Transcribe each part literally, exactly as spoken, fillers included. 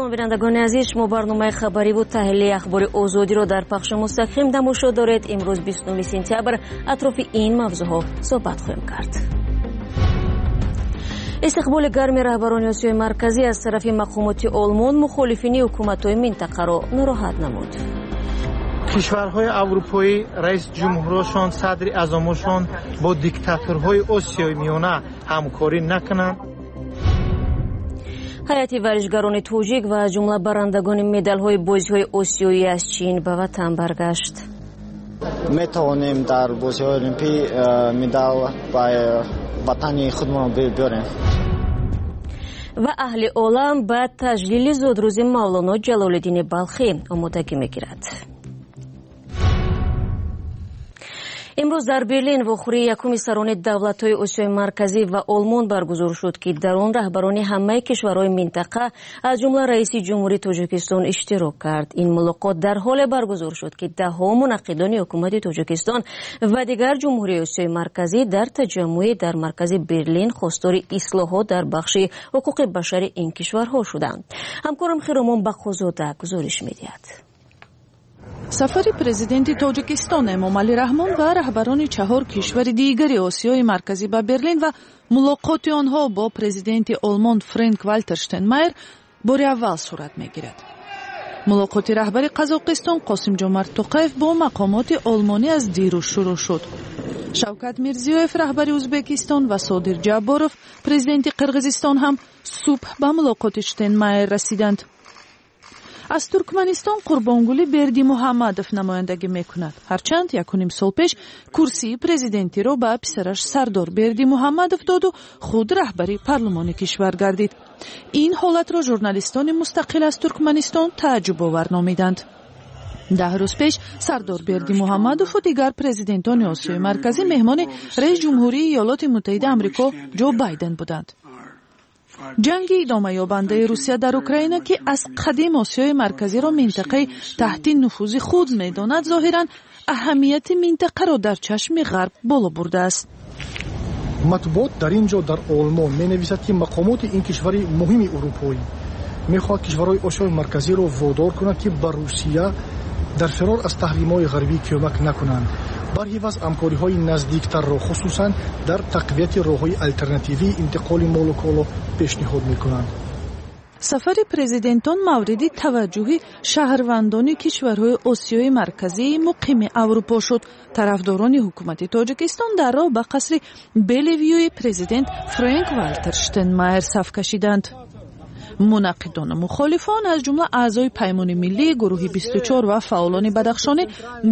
Салом, бинандагони азиз, шумо барномаи хабариву таҳлилии Ахбори Озодиро дар пахши мустақим тамошо доред. Имрӯз бисту нӯҳуми сентябр атрофи ин мавзӯъҳо суҳбат хоҳем кард. Истиқболи гарми раҳбарони Осиёи Марказӣ аз тарафи мақомоти Олмон мухолифини ҳукуматҳои минтақаро нороҳат намуд. Кишварҳои аврупоӣ, раис ҷумҳурашон, садри аъзомошон бо диктаторҳои Осиёи Миёна ҳамкорӣ накунанд. Ҳайати варзишгарони тоҷик ва аз ҷумла барандагони медалҳои бозиҳои осиёӣ аз Чин ба ватан баргашт. Метавонем дар бозиҳои олимпӣ медал ба ватани худмон биёрем. Ва аҳли олам ба таҷлили зодрӯзи Мавлоно Ҷалолиддини Балхӣ омодагӣ мегирад. Имрӯз дар Берлин вохӯрии якуми сарони давлатҳои Осиёи Марказӣ ва Олмон баргузор шуд, ки дар он раҳбарони ҳамаи кишварҳои минтақа аз ҷумла раиси ҷумҳурии Тоҷикистон иштирок кард. Ин мулоқот дар ҳоле баргузор шуд, ки даҳҳо мунаққидони ҳукумати Тоҷикистон ва дигар ҷумҳурии Осиёи Марказӣ дар таҷаммӯе дар маркази Берлин хостори ислоҳот дар бахши ҳуқуқи башари ин кишварҳо шуданд. Ҳамкорам Хиромон Бақозода гузориш медиҳад. Сафари президенти Тоҷикистон Эмомалӣ Раҳмон ва раҳбарони чаҳор кишвари дигари Осиёи Марказӣ ба Берлин ва мулоқоти онҳо бо президенти Олмон Френк Валтер Штайнмайер бори аввал сурат мегирад. Мулоқоти раҳбари Қазоқистон Қосимҷомарт Тоқаев бо мақомоти олмонӣ аз дирӯз шурӯъ шуд. Шавкат Мирзиёев, раҳбари Ӯзбекистон, ва Содир Ҷабборов, президенти Қирғизистон, ҳам субҳ ба мулоқоти Штайнмайер расиданд. Аз Туркманистон Қурбонгулӣ Бердимуҳаммадов намояндагӣ мекунад. Ҳарчанд якуним сол пеш курсии президентиро ба писараш Сардор Бердимуҳаммадов доду худ раҳбари парлумони кишвар гардид. Ин ҳолатро журналистони мустақил аз Туркманистон тааҷҷубовар номиданд. Даҳ рӯз пеш Сардор Бердимуҳаммадову дигар президентони Осиёи Марказӣ меҳмони раис ҷумҳурии Иёлоти Муттаҳида Амрико Ҷо Байден буданд. Ҷанги идомаёбандаи Русия дар Украина, ки аз қадим Осиёи Марказиро минтақаи таҳти нуфузи худ медонад, зоҳиран аҳамияти минтақаро дар чашми Ғарб боло бурдааст. Матбуот дар ин ҷо дар Олмон менависад, ки мақомоти ин кишвари муҳими урупоӣ мехоҳад кишварҳои Осиёи Марказиро водор кунад, ки ба Русия дар фирор аз таҳримҳои ғарбӣ кӯмак накунанд. Барҳиваз ҳамкориҳои наздиктарро, хусусан дар тақвияти роҳҳои алтернативии интиқоли молу коло пешниҳод мекунанд. Сафари президентон мавриди таваҷҷӯҳи шаҳрвандони кишварҳои Осиёи Марказии муқими Аврупо шуд. Тарафдорони ҳукумати Тоҷикистон дар роҳ ба қасри Белевюи президент Френк Валтер Штайнмайер саф кашиданд. Мунаққидону мухолифон, аз ҷумла аъзои Паймони миллӣ, гурӯҳи бисту чор ва фаъолони бадахшонӣ,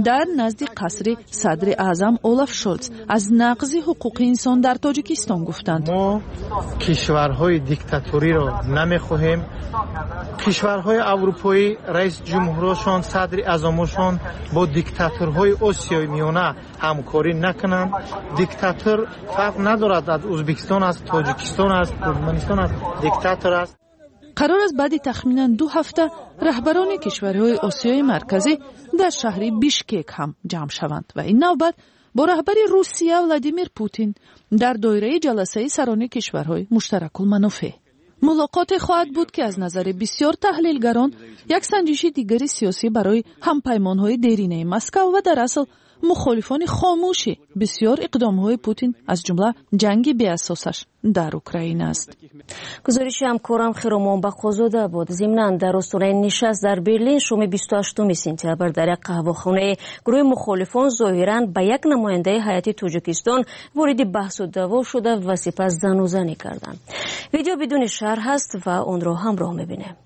дар назди қасри садри аъзам Олаф Шолц аз нақзи ҳуқуқи инсон дар Тоҷикистон гуфтанд. Мо кишварҳои диктаториро намехоҳем. Кишварҳои аврупоӣ, раис ҷумҳурашон, садри аъзомошон бо диктаторҳои Осиёи Миёна ҳамкорӣ накунанд. Диктатор фарқ надорад, аз Ӯзбекистон аст, Тоҷикистон аст, Туркманистон аст, диктатор аст. Қарор аст баъди тахминан ду ҳафта раҳбарони кишварҳои Осиёи Марказӣ дар шаҳри Бишкек ҳам ҷамъ шаванд ва ин навбат бо раҳбари Русия Владимир Путин дар доираи ҷаласаи сарони кишварҳои муштаракулманофеъ. Мулоқоте хоҳад буд, ки аз назари бисёр таҳлилгарон як санҷиши дигари сиёсӣ барои ҳампаймонҳои деринаи Москав ва дар асл мухолифони хомӯши бисёр иқдомҳои Путин, аз ҷумла ҷанги беасосаш дар Украина аст. Гузориши ҳамкорам Хиромон Бақозода буд. Зимнан дар остонаи нишаст дар Берлин шоми бисту ҳаштуми сентябр дар як қаҳвахонаи гурӯҳи мухолифон зоҳиран ба як намояндаи ҳайати Тоҷикистон вориди баҳсу даъво шуда ва сипас занузанӣ карданд. Видео бидуни шарҳ аст ва онро ҳамроҳ мебинем.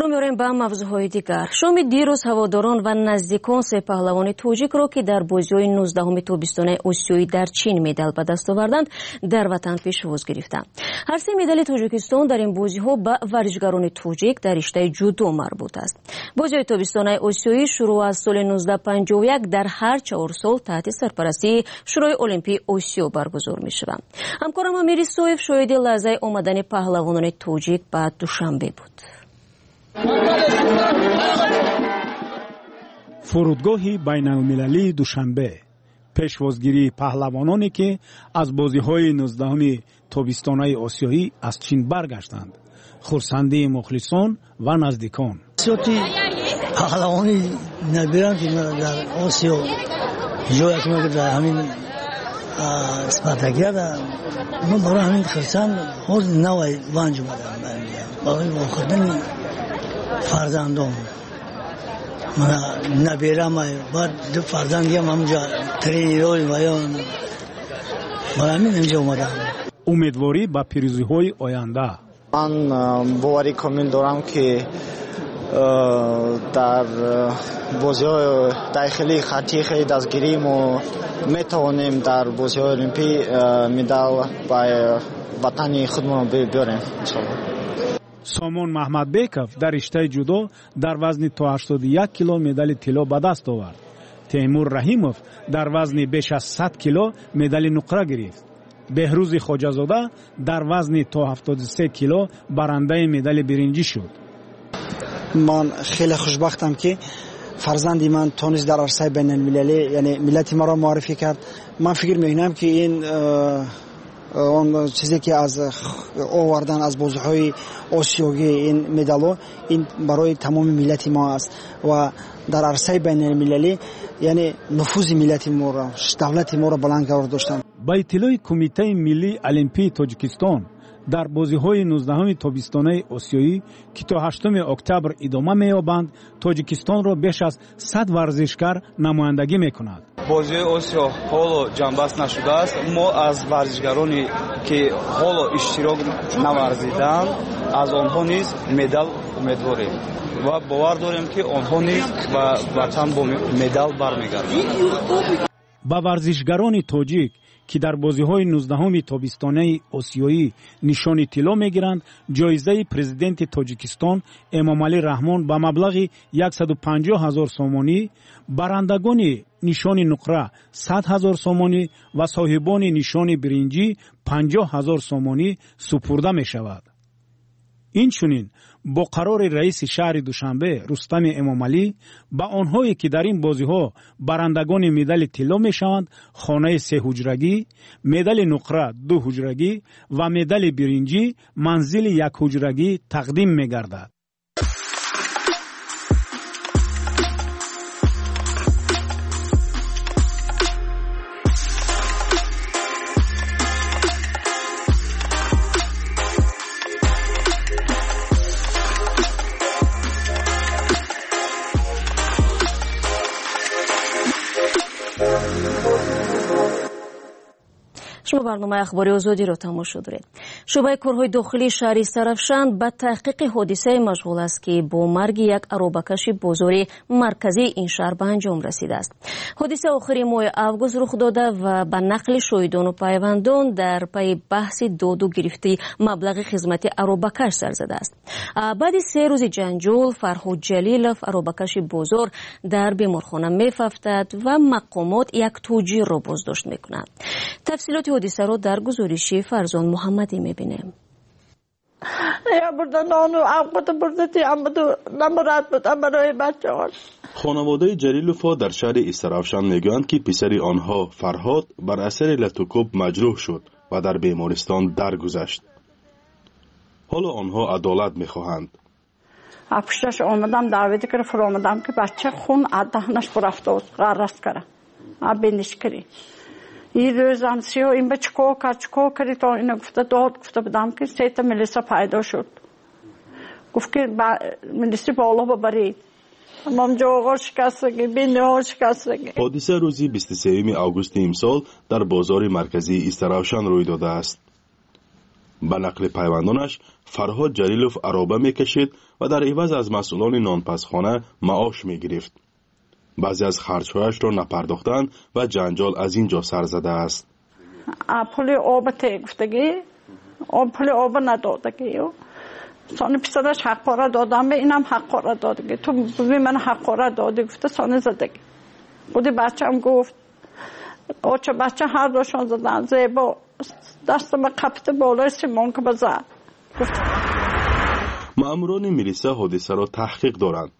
Рӯ меорем ба мавзӯъҳои дигар. Шоми дирӯз ҳаводорон ва наздикон се паҳлавони тоҷикро, ки дар бозиҳои нуздаҳуми тобистонаи Осиёӣ дар Чин медал ба даст оварданд, дар ватан пешвоз гирифтанд. Ҳар се медали Тоҷикистон дар ин бозиҳо ба варзишгарони тоҷик дар риштаи ҷудо марбут аст. Бозиҳои тобистонаи Осиёӣ шурӯъ аз соли нуздаҳ панҷоҳу як дар ҳар чаҳор сол таҳти сарпарастии Шӯрои Олимпии Осиё баргузор мешаванд. Ҳамкорам Амир Исоев шоҳиди лаҳзаи омадани паҳлавонони тоҷик ба Душанбе буд. Фурудгоҳи байналмилалии Душанбе, пешвозгирии паҳлавононе, ки аз бозиҳои нуздаҳуми тобистонаи Осиёӣ аз Чин баргаштанд, хурсандии мухлисон ва наздикон. Сиёти паҳлавони набирам, ки дар Осиё ҷоя ки дар ҳамин спартакиада, мо барои ҳамин хурсанд ҳоз навай ванҷ омадам барои вохӯрдани фарзандон. Мана набирам, баъд ду фарзандиам ҳамҷа тренерҳои ваён, барои ҳамин инҷа омадам. Умедворӣ ба пирӯзиҳои оянда. Ман боварӣ комил дорам, ки дар бозиҳои дохилии хаттии хеле дастгирӣ мо метавонем дар бозиҳои олимпӣ медал ба ватани худмон биёрем иншоаллоҳ. Сомон Маҳмадбеков дар риштаи ҷудо дар вазни то ҳаштоду як кило медали тилло ба даст овард. Темур Раҳимов дар вазни беш аз сад кило медали нуқра гирифт. Беҳрӯзи Хоҷазода дар вазни то ҳафтоду се кило барандаи медали биринҷӣ шуд. Ман хеле хушбахтам, ки фарзанди ман тонист дар арсаи байналмилалӣ, яъне миллати маро муаррифӣ кард. Ман фикр мекунам, ки ин он чизе ки аз овардан аз бозиҳои осиёгӣ ин медалҳо, ин барои тамоми миллати мо аст ва дар арсаи байналмилалӣ, яъне нуфузи миллати моро, давлати моро баланд қарор доштанд. Ба иттилои Кумитаи миллии Олимпии Тоҷикистон, дар бозиҳои нуздаҳуми тобистонаи Осиёӣ, ки то ҳаштуми октябр идома меёбанд, Тоҷикистонро беш аз сад варзишгар намояндагӣ мекунад. Бозиҳои Осиё ҳоло ҷанбаст нашудааст. Мо аз варзишгароне, ки ҳоло иштирок наварзиданд, аз онҳо низ медал умедворем ва бовар дорем, ки онҳо низ ба ватан бо медал бармегарданд. Ба варзишгарони тоҷик, ки дар бозиҳои нуздаҳуми тобистонаи Осиёӣ нишони тилло мегиранд, ҷоизаи президенти Тоҷикистон Эмомалӣ Раҳмон ба маблағи яксаду панҷоҳ ҳазор сомонӣ, барандагони нишони нуқра сад ҳазор сомонӣ ва соҳибони нишони биринҷӣ панҷоҳ ҳазор сомонӣ супурда мешавад. Инчунин бо қарори раиси шаҳри Душанбе Рустами Эмомалӣ ба онҳое, ки дар ин бозиҳо барандагони медали тилло мешаванд, хонаи сеҳуҷрагӣ, медали нуқра ду ҳуҷрагӣ ва медали биринҷӣ манзили якҳуҷрагӣ тақдим мегардад. Шумо барномаи ахбори Озодиро тамошо доред. Шӯъбаи корҳои дохилии шаҳри Истаравшан ба таҳқиқи ҳодисае машғул аст, ки бо марги як аробакаши бозори марказии ин шаҳр ба анҷом расидааст. Ҳодиса охири моҳи август рух дода ва ба нақли шоҳидону пайвандон дар пайи баҳси доду гирифти маблағи хизмати аробакаш сар задааст. Баъди се рӯзи ҷанҷол Фарҳод Ҷалилов, аробакаши бозор, дар беморхона мефафтад ва мақомот як тоҷирро боздошт мекунанд. Тафсилоти ҳодисаро дар гузориши Фарзон Муҳаммадӣ мебинем. Хонаводаи Ҷалиловҳо дар шаҳри Истаравшан мегӯянд, ки писари онҳо Фарҳод бар асари латукӯб маҷрӯҳ шуд ва дар бемористон даргузашт. Ҳоло онҳо адолат мехоҳанд. Пушташ омадам, даъват кара, фуромадам, ки бача хун аз даҳнаш бурафтааст, ғаррас кара, биниш кирӣ. Ин рӯзам сиё ин ба чикор кард, чикор карди, то ина гуфта дод гуфта будам, ки сета милиса пайдо шуд. Гуфт, ки милиси боло бабаред. Ҳодиса рӯзи бисту сеюми августи имсол дар бозори марказии Истаравшан рӯй додааст. Ба нақли пайвандонаш, Фарҳод Ҷалилов ароба мекашид ва дар иваз аз масъулони нонпазхона маош мегирифт. Баъзе аз харҷҳояшро напардохтанд ва ҷанҷол аз ин ҷо сар задааст. Пули оба те гуфтагӣ, пули оба надодагӣ. Сони писараш ҳаққора додам, инам ҳаққора додагӣ. Ту буви ман ҳаққора додӣ гуфта сони задагӣ. Худи бачам гуфт, оча бача ҳар дошон задан, зебо дастама қапида болои симонка базад. Маъмурони милиса ҳодисаро таҳқиқ доранд.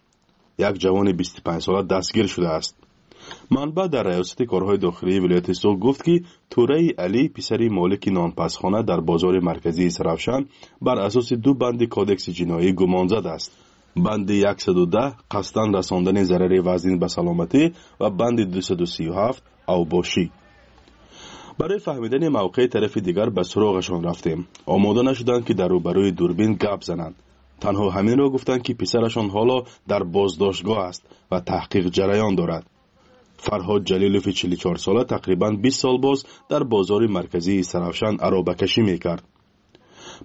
Як ҷавони бисту панҷсола дастгир шудааст. Манбаъ дар раёсати корҳои дохилии вилояти Суғд гуфт, ки Тӯраи Алӣ, писари молики нонпазхона дар бозори марказии Истаравшан, бар асоси ду банди кодекси ҷиноӣ гумонзад аст. Банди яксаду даҳ қасдан расондани зарари вазнин ба саломатӣ ва банди дусаду сию ҳафт авбошӣ. Барои фаҳмидани мавқеи тарафи дигар ба суроғашон рафтем. Омода нашуданд, ки дар рӯбарӯи дурбин гап зананд. Танҳо ҳаминро гуфтанд, ки писарашон ҳоло дар боздоштгоҳ аст ва таҳқиқ ҷараён дорад. Фарҳод Ҷалилови чилу чорсола тақрибан бист сол боз дар бозори марказии Истаравшан аробакашӣ мекард.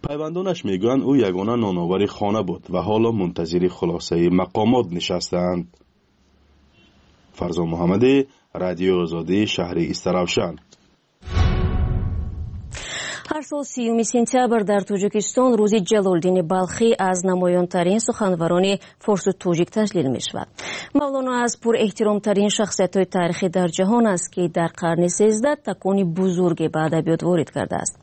Пайвандонаш мегӯянд, ӯ ягона ноновари хона буд ва ҳоло мунтазири хулосаи мақомот нишастаанд. Фарзон Муҳаммадӣ, Радиои Озодӣ, шаҳри Истаравшан. Ҳар сол сиюми сентябр дар Тоҷикистон рӯзи Ҷалолиддини Балхӣ аз намоёнтарин суханварони форсу тоҷик таҷлил мешавад. Мавлоно аз пурэҳтиромтарин шахсиятҳои таърихӣ дар ҷаҳон аст, ки дар қарни сездаҳ такони бузурге ба адабиёт ворид кардааст.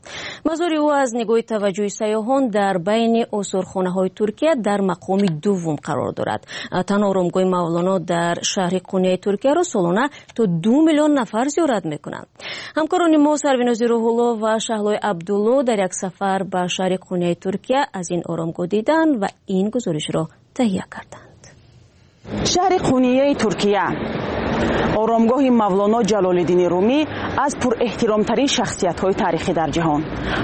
Мазори ӯ аз нигоҳи таваҷҷӯҳи сайёҳон дар байни осорхонаҳои Туркия дар мақоми дуввум қарор дорад. Танҳо оромгоҳи Мавлоно дар шаҳри Қуняи Туркияро солона то ду миллион нафар зиёрат мекунанд. Ҳамкорони мо Сарвинози Рӯҳулло ва Шаҳлои Абдулло дар як сафар ба шаҳри Қуняи Туркия аз ин оромгоҳ диданд ва ин гузоришро таҳия карданд. Шаҳри Қунияи Туркия, оромгоҳи Мавлоно Ҷалолиддини Румӣ аз пурэҳтиромтарин шахсиятҳои таърихӣ дар ҷаҳон.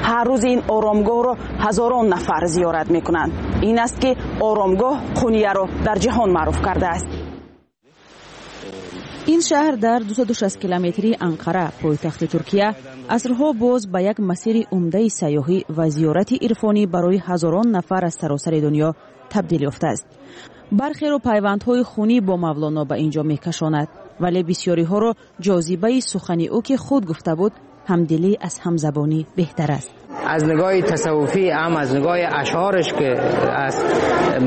Ҳар рӯз ин оромгоҳро ҳазорон нафар зиёрат мекунанд. Ин аст ки оромгоҳ Қунияро дар ҷаҳон маъруф кардааст. Ин шаҳр дар дусаду шаст километрии Анқара, пойтахти Туркия, асрҳо боз ба як масири умдаи сайёҳӣ ва зиёрати ирфонӣ барои ҳазорон нафар аз саросари дунё табдил ёфтааст. Бархеро пайвандҳои хунӣ бо Мавлоно ба ин ҷо мекашонад, вале бисёриҳоро ҷозибаи сухани ӯ, ки худ гуфта буд, ҳамдилӣ аз ҳамзабонӣ беҳтар аст. Аз нигоҳи тасаввуфӣ ҳам аз нигоҳи ашъораш, ки аз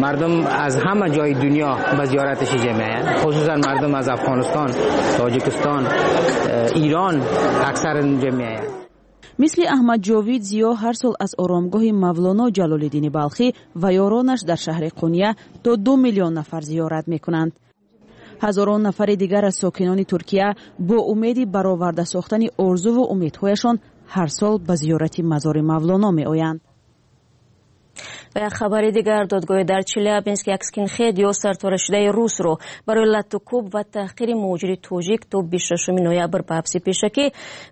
мардум аз ҳама ҷои дунё ба зиёраташ ҷамъ меоянд, хусусан мардум аз Афғонистон, Тоҷикистон, Эрон аксар ҷамъ меоянд. Мисли Аҳмад Ҷовид Зиё ҳар сол аз оромгоҳи Мавлоно Ҷалолиддини Балхӣ ва ёронаш дар шаҳри Қуния то ду миллион нафар зиёрат мекунанд. Ҳазорон нафари дигар аз сокинони Туркия бо умеди бароварда сохтани орзуву умедҳояшон ҳар сол ба зиёрати мазори Мавлоно меоянд. Ва як хабари дигар, додгоҳи дар Челябинск як скинхед ё сарторашидаи русро барои латтукӯб ва таҳқири муҳоҷири тоҷик то бисту шашуми ноябр ба ҳабси пешакӣ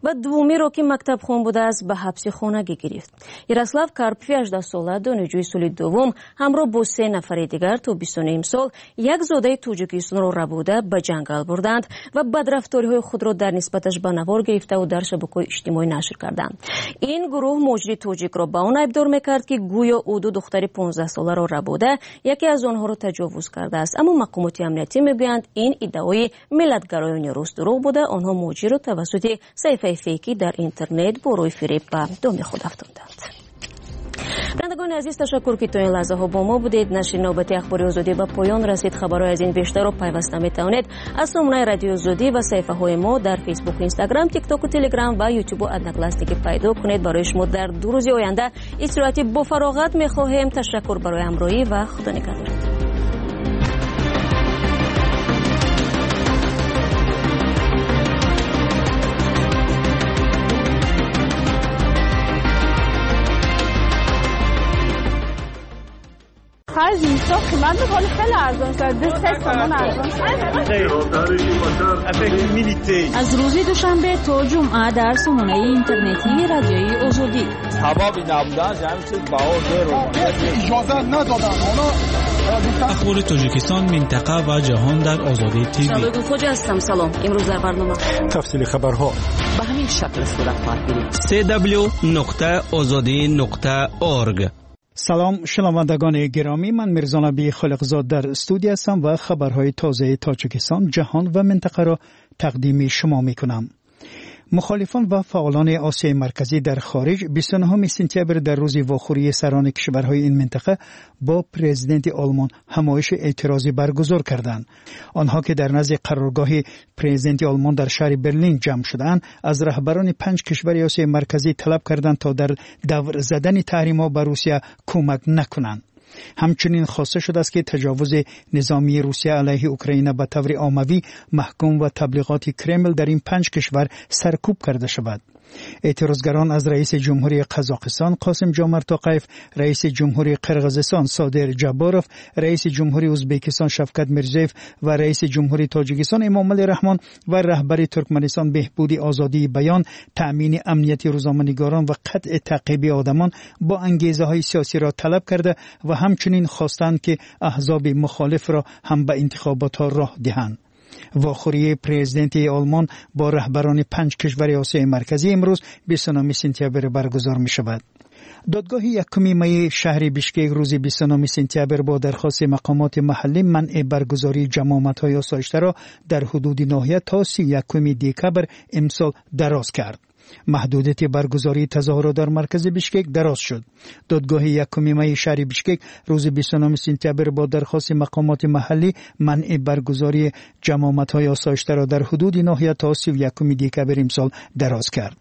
ва дуввумиро, ки мактабхон будааст, ба ҳабси хонагӣ гирифт. Ярослав Карпфи ҳаждаҳсола, донишҷӯи соли дуввум, ҳамроҳ бо се нафари дигар то бисту ним сол як зодаи Тоҷикистонро рабуда ба ҷангал бурданд ва бадрафториҳои худро дар нисбаташ ба навор гирифтаву дар шабакаҳои иҷтимоӣ нашр карданд. Ин гурӯҳ муҳоҷири тоҷикро ба он айбдор мекард, ки гӯё ӯ ду духтари понздаҳсоларо рабуда яке аз онҳоро таҷовуз кардааст. Аммо мақомоти амниятӣ мегӯянд, ин иддаои миллатгароёни рус дурӯғ буда, онҳо муҳоҷирро тавассути саҳифаи фейкӣ дар интернет бо рӯи фиреб ба доми худ афтонданд. Бинандагони азиз, ташаккур, ки то ин лаҳзаҳо бо мо будед. Нашри навбати Ахбори Озодӣ ба поён расид. Хабарҳои аз ин бештарро пайваста метавонед аз сомонаи Радиои Озодӣ ва саҳифаҳои мо дар Фейсбук, Инстаграм, Тиктоку, Телеграм ва Ютубу Одноклассники пайдо кунед. Барои шумо дар ду рӯзи оянда истироҳати бофароғат мехоҳем. Ташаккур барои ҳамроҳӣ ва худо нигаҳдор. Праздник. بسیار قیمت بود، حالا خیلی ارزان شد، دو سه تومان ارزان شد. Аз рӯзи душанбе то ҷумъа дар сомонаи интернетии Радиои Озодӣ. Сабаби набудан ҳамин чиз баҳо дер. Иҷоза надоданд онҳо. Ахбори Тоҷикистон, минтақа ва ҷаҳон дар Озодӣ ТВ. Гулхоҷа ҳастам. Салом. Имрӯз дар барнома тафсили хабарҳо ба ҳамин шакл сурат хоҳад гирифт. C W нуқта озодӣ нуқта org. Салом, шунавандагони гиромӣ. Ман Мирзонаби Холиқзод дар студия ҳастам ва хабарҳои тозаи Тоҷикистон, ҷаҳон ва минтақаро тақдими шумо мекунам. Мухолифон ва фаъолони Осиёи Марказӣ дар хориҷ бисту нӯҳуми сентябр, дар рӯзи вохӯрии сарони кишварҳои ин минтақа бо президенти Олмон, ҳамоиши эътирозӣ баргузор карданд. Онҳо, ки дар назди қароргоҳи президенти Олмон дар шаҳри Берлин ҷамъ шудаанд, аз раҳбарони панҷ кишвари Осиёи Марказӣ талаб карданд, то дар давр задани таҳримҳо ба Русия кӯмак накунанд. Ҳамчунин хоста шудааст, ки таҷовузи низомии Русия алайҳи Украина ба таври оммавӣ маҳкум ва таблиғоти Кремл дар ин панҷ кишвар саркӯб карда шавад. Эътирозгарон аз раиси ҷумҳурии Қазоқистон Қосим Ҷомарт Тоқаев, раиси ҷумҳурии Қирғизистон Содир Ҷабборов, раиси ҷумҳурии Ӯзбекистон Шавкат Мирзиёев ва раиси ҷумҳурии Тоҷикистон Эмомалӣ Раҳмон ва раҳбари Туркманистон беҳбуди озодии баён, таъмини амнияти рӯзноманигорон ва қатъи таъқиби одамон бо ангезаҳои сиёсиро талаб карда ва ҳамчунин хостанд, ки аҳзоби мухолифро ҳам ба интихоботҳо роҳ диҳанд. Вохӯрии президенти Олмон бо раҳбарони панҷ кишвари Осиёи Марказӣ имрӯз, бисту нӯҳуми сентябр, баргузор мешавад. Додгоҳи якуми майи шаҳри Бишкек рӯзи бисту нӯҳуми сентябр бо дархости мақомоти маҳаллӣ манъи баргузории ҷамъомадҳои осоиштаро дар ҳудуди ноҳия то сию якуми декабр имсол дароз кард. Маҳдудияти баргузории тазоҳурот дар маркази Бишкек дароз шуд. Додгоҳи якуми майи шаҳри Бишкек рӯзи бисту нӯҳуми сентябр бо дархости мақомоти маҳаллӣ манъи баргузории ҷамъомадҳои осоиштаро дар ҳудуди ноҳия то сию якуми декабр имсол дароз кард.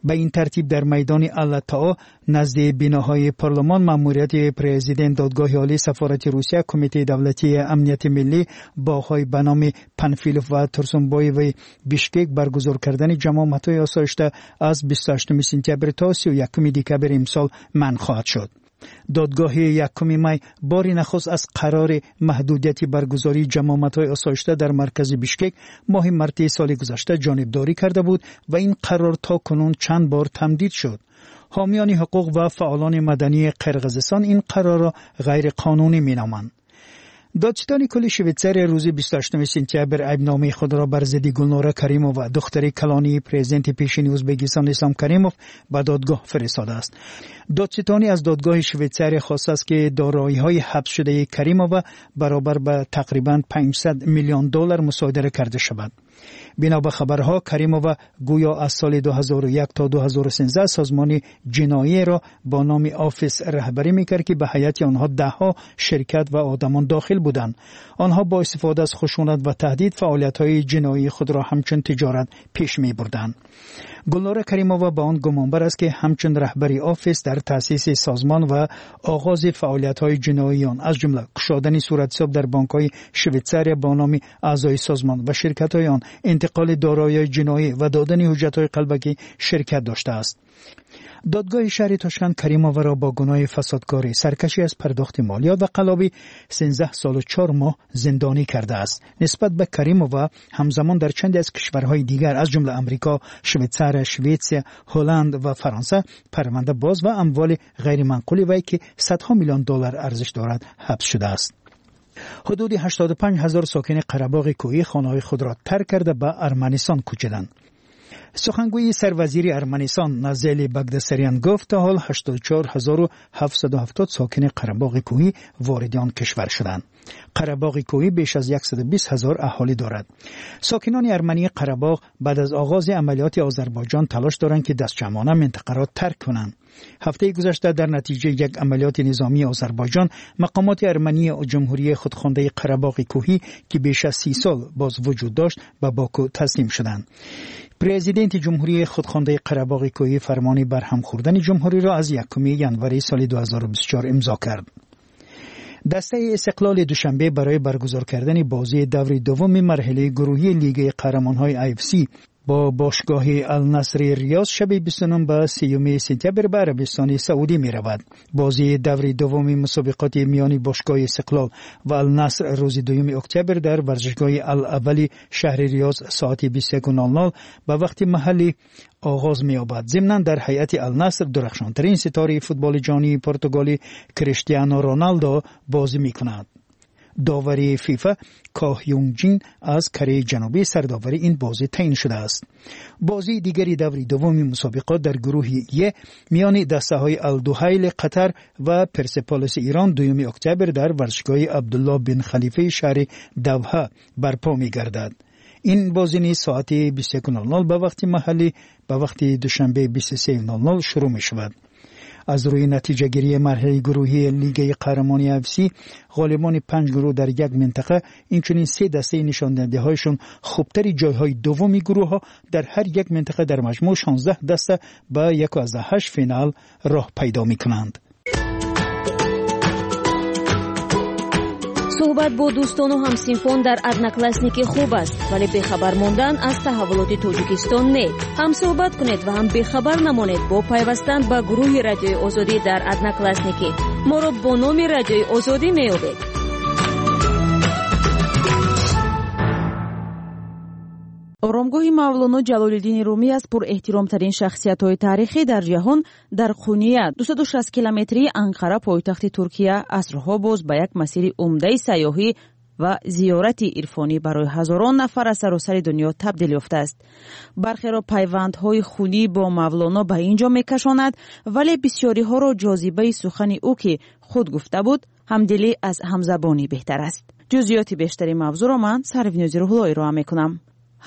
Ба ин тартиб, дар майдони Алатоо назди биноҳои парлумон, маъмурияти президент, Додгоҳи олӣ, сафорати Русия, Кумитаи давлатии амнияти миллӣ, боғҳои ба номи Панфилов ва Турсунбоеви Бишкек баргузор кардани ҷамъомадҳои осоишта аз бисту ҳаштуми сентябр то сию якуми декабри имсол манъ хоҳад шуд. Додгоҳи якуми май бори нахуст аз қарори маҳдудияти баргузории ҷамъомадҳои осоишта дар маркази Бишкек моҳи марти соли гузашта ҷонибдорӣ карда буд ва ин қарор то кунун чанд бор тамдид шуд. Ҳомиёни ҳуқуқ ва фаъолони мадании Қирғизистон ин қарорро ғайриқонунӣ меноманд. Додситони кулли Швейтсария рӯзи бисту ҳаштуми сентябр айбномаи худро бар зидди Гулнора Каримова, духтари калонии президенти пешини Ӯзбекистон Ислом Каримов, ба додгоҳ фиристодааст. Додситонӣ аз додгоҳи Швейтсария хостааст, ки дороиҳои ҳабсшудаи Каримова баробар ба тақрибан панҷсад миллион доллар мусодира карда шавад. Бино ба хабарҳо, Каримова гӯё аз соли ду ҳазору як то ду ҳазору сездаҳ созмони ҷиноиеро бо номи Офис раҳбарӣ мекард, ки ба ҳайати онҳо даҳҳо ширкат ва одамон дохил буданд. Онҳо бо истифода аз хушунат ва таҳдид фаъолиятҳои ҷиноии худро ҳамчун тиҷорат пеш мебурданд. Гулнора Каримова ба он гумонбар аст, ки ҳамчун раҳбари Офис дар таъсиси созмон ва оғози фаъолиятҳои ҷиноии он, аз ҷумла кушодани суратҳисоб дар бонкҳои Швейтсария бо номи аъзои созмон ва ширкатҳои он, интиқоли дороиҳои ҷиноӣ ва додани ҳуҷҷатҳои қалбакӣ ширкат доштааст. Додгоҳи шаҳри Тошканд Каримоваро бо гуноҳи фасодкорӣ, саркашӣ аз пардохти молиёт ва қаллобӣ сездаҳ солу чор моҳ зиндонӣ кардааст. Нисбат ба Каримова ҳамзамон дар чанде аз кишварҳои дигар, аз ҷумла Амрико, Швейтсария, Шветсия, Ҳолланд ва Фаронса парванда боз ва амволи ғайриманқули вай, ки садҳо миллион доллар арзиш дорад, ҳабс шудааст. Ҳудуди ҳаштоду панҷ ҳазор сокини Қарабоғи Кӯҳӣ хонаҳои худро тарк карда, ба Арманистон кӯчиданд. Сухангӯи сарвазири Арманистон Назели Багдасарян гуфт, то ҳол ҳаштоду чор ҳазору ҳафтсаду ҳафтод сокини Қарабоғи Кӯҳӣ вориди он кишвар шуданд. Қарабоғи Кӯҳӣ беш аз яксаду бист ҳазор аҳолӣ дорад. Сокинони армании Қарабоғ баъд аз оғози амалиёти Озарбойҷон талош доранд, ки дастҷамъона минтақаро тарк кунанд. Ҳафтаи гузашта дар натиҷаи як амалиёти низомии Озарбойҷон мақомоти армании ҷумҳурии худхондаи Қарабоғи Кӯҳӣ, ки беш аз си сол боз вуҷуд дошт, ба Боку таслим шуданд. Президенти ҷумҳурии худхондаи Қарабоғи Кӯҳӣ фармони барҳам хӯрдани ҷумҳуриро аз якуми январи соли ду ҳазору бисту чор имзо кард. Дастаи Истиқлоли Душанбе барои баргузор кардани бозии даври дуввуми марҳилаи гурӯҳии Лигаи қаҳрамонҳои A F C با باشگاه النصر ریاض شب بیست و نهم به سیوم سپتامبر به عربستان سعودی می رود. بازی دور دوم مسابقات میان باشگاه استقلال و النصر روز دوم اکتبر در ورزشگاه الاول شهر ریاض ساعت بیست و یک نول نول به وقت محلی آغاز می یابد. ضمناً در هیئت النصر درخشانترین ستاره فوتبال جهانی پرتغالی کریستیانو رونالدو بازی می کند. داوری فیفا کاه یونگ جین از کره جنوبی سرداوری این بازی تعیین شده است. بازی دیگری دوری دوم مسابقات در گروه ی میان دسته های الدوحیل قطر و پرسپولیس ایران دوم اکتبر در ورزشگاه عبدالله بن خلیفه شهر دوحه برپا می گردد. این بازی نیز ساعت بیست و یک نول نول به وقت محلی به وقت دوشنبه بیست و سه نول نول شروع می شود. از روی نتیجه گیری مرحله گروهی لیگ قهرمانی اف سی غالبان پنج گروه در یک منطقه اینچنین سه دسته نشان دهنده هایشون خوبتر جایهای دوم گروه ها در هر یک منطقه در مجموع شانزده دسته به یک و هشت فینال راه پیدا می کنند. суҳбат бо дӯстону ҳамсинфон дар Одноклассники хуб аст, вале бехабар мондан аз таҳаввулоти Тоҷикистон не. Ҳам суҳбат кунед ва ҳам бехабар намонед бо пайвастан ба гурӯҳи Радиои Озодӣ дар Одноклассники. Моро бо номи Радиои Озодӣ меёбед. Оромгоҳи Мавлоно Ҷалолиддини Румӣ аз пурэҳтиромтарин шахсиятҳои таърихӣ дар ҷаҳон дар Қуния, дусаду шаст километрии Анқара, пойтахти Туркия, асрҳо боз ба як масири умдаи сайёҳӣ ва зиёрати ирфонӣ барои ҳазорон нафар аз саросари дунё табдил ёфтааст. Бархеро пайвандҳои хунӣ бо Мавлоно ба ин ҷо мекашонад, вале бисёриҳоро ҷозибаи сухани ӯ, ки худ гуфта буд, ҳамдилӣ аз ҳамзабонӣ беҳтар аст. Ҷузъиёти бештари мавзӯъро ман Сарвинози Рӯҳулло ироа мекунам.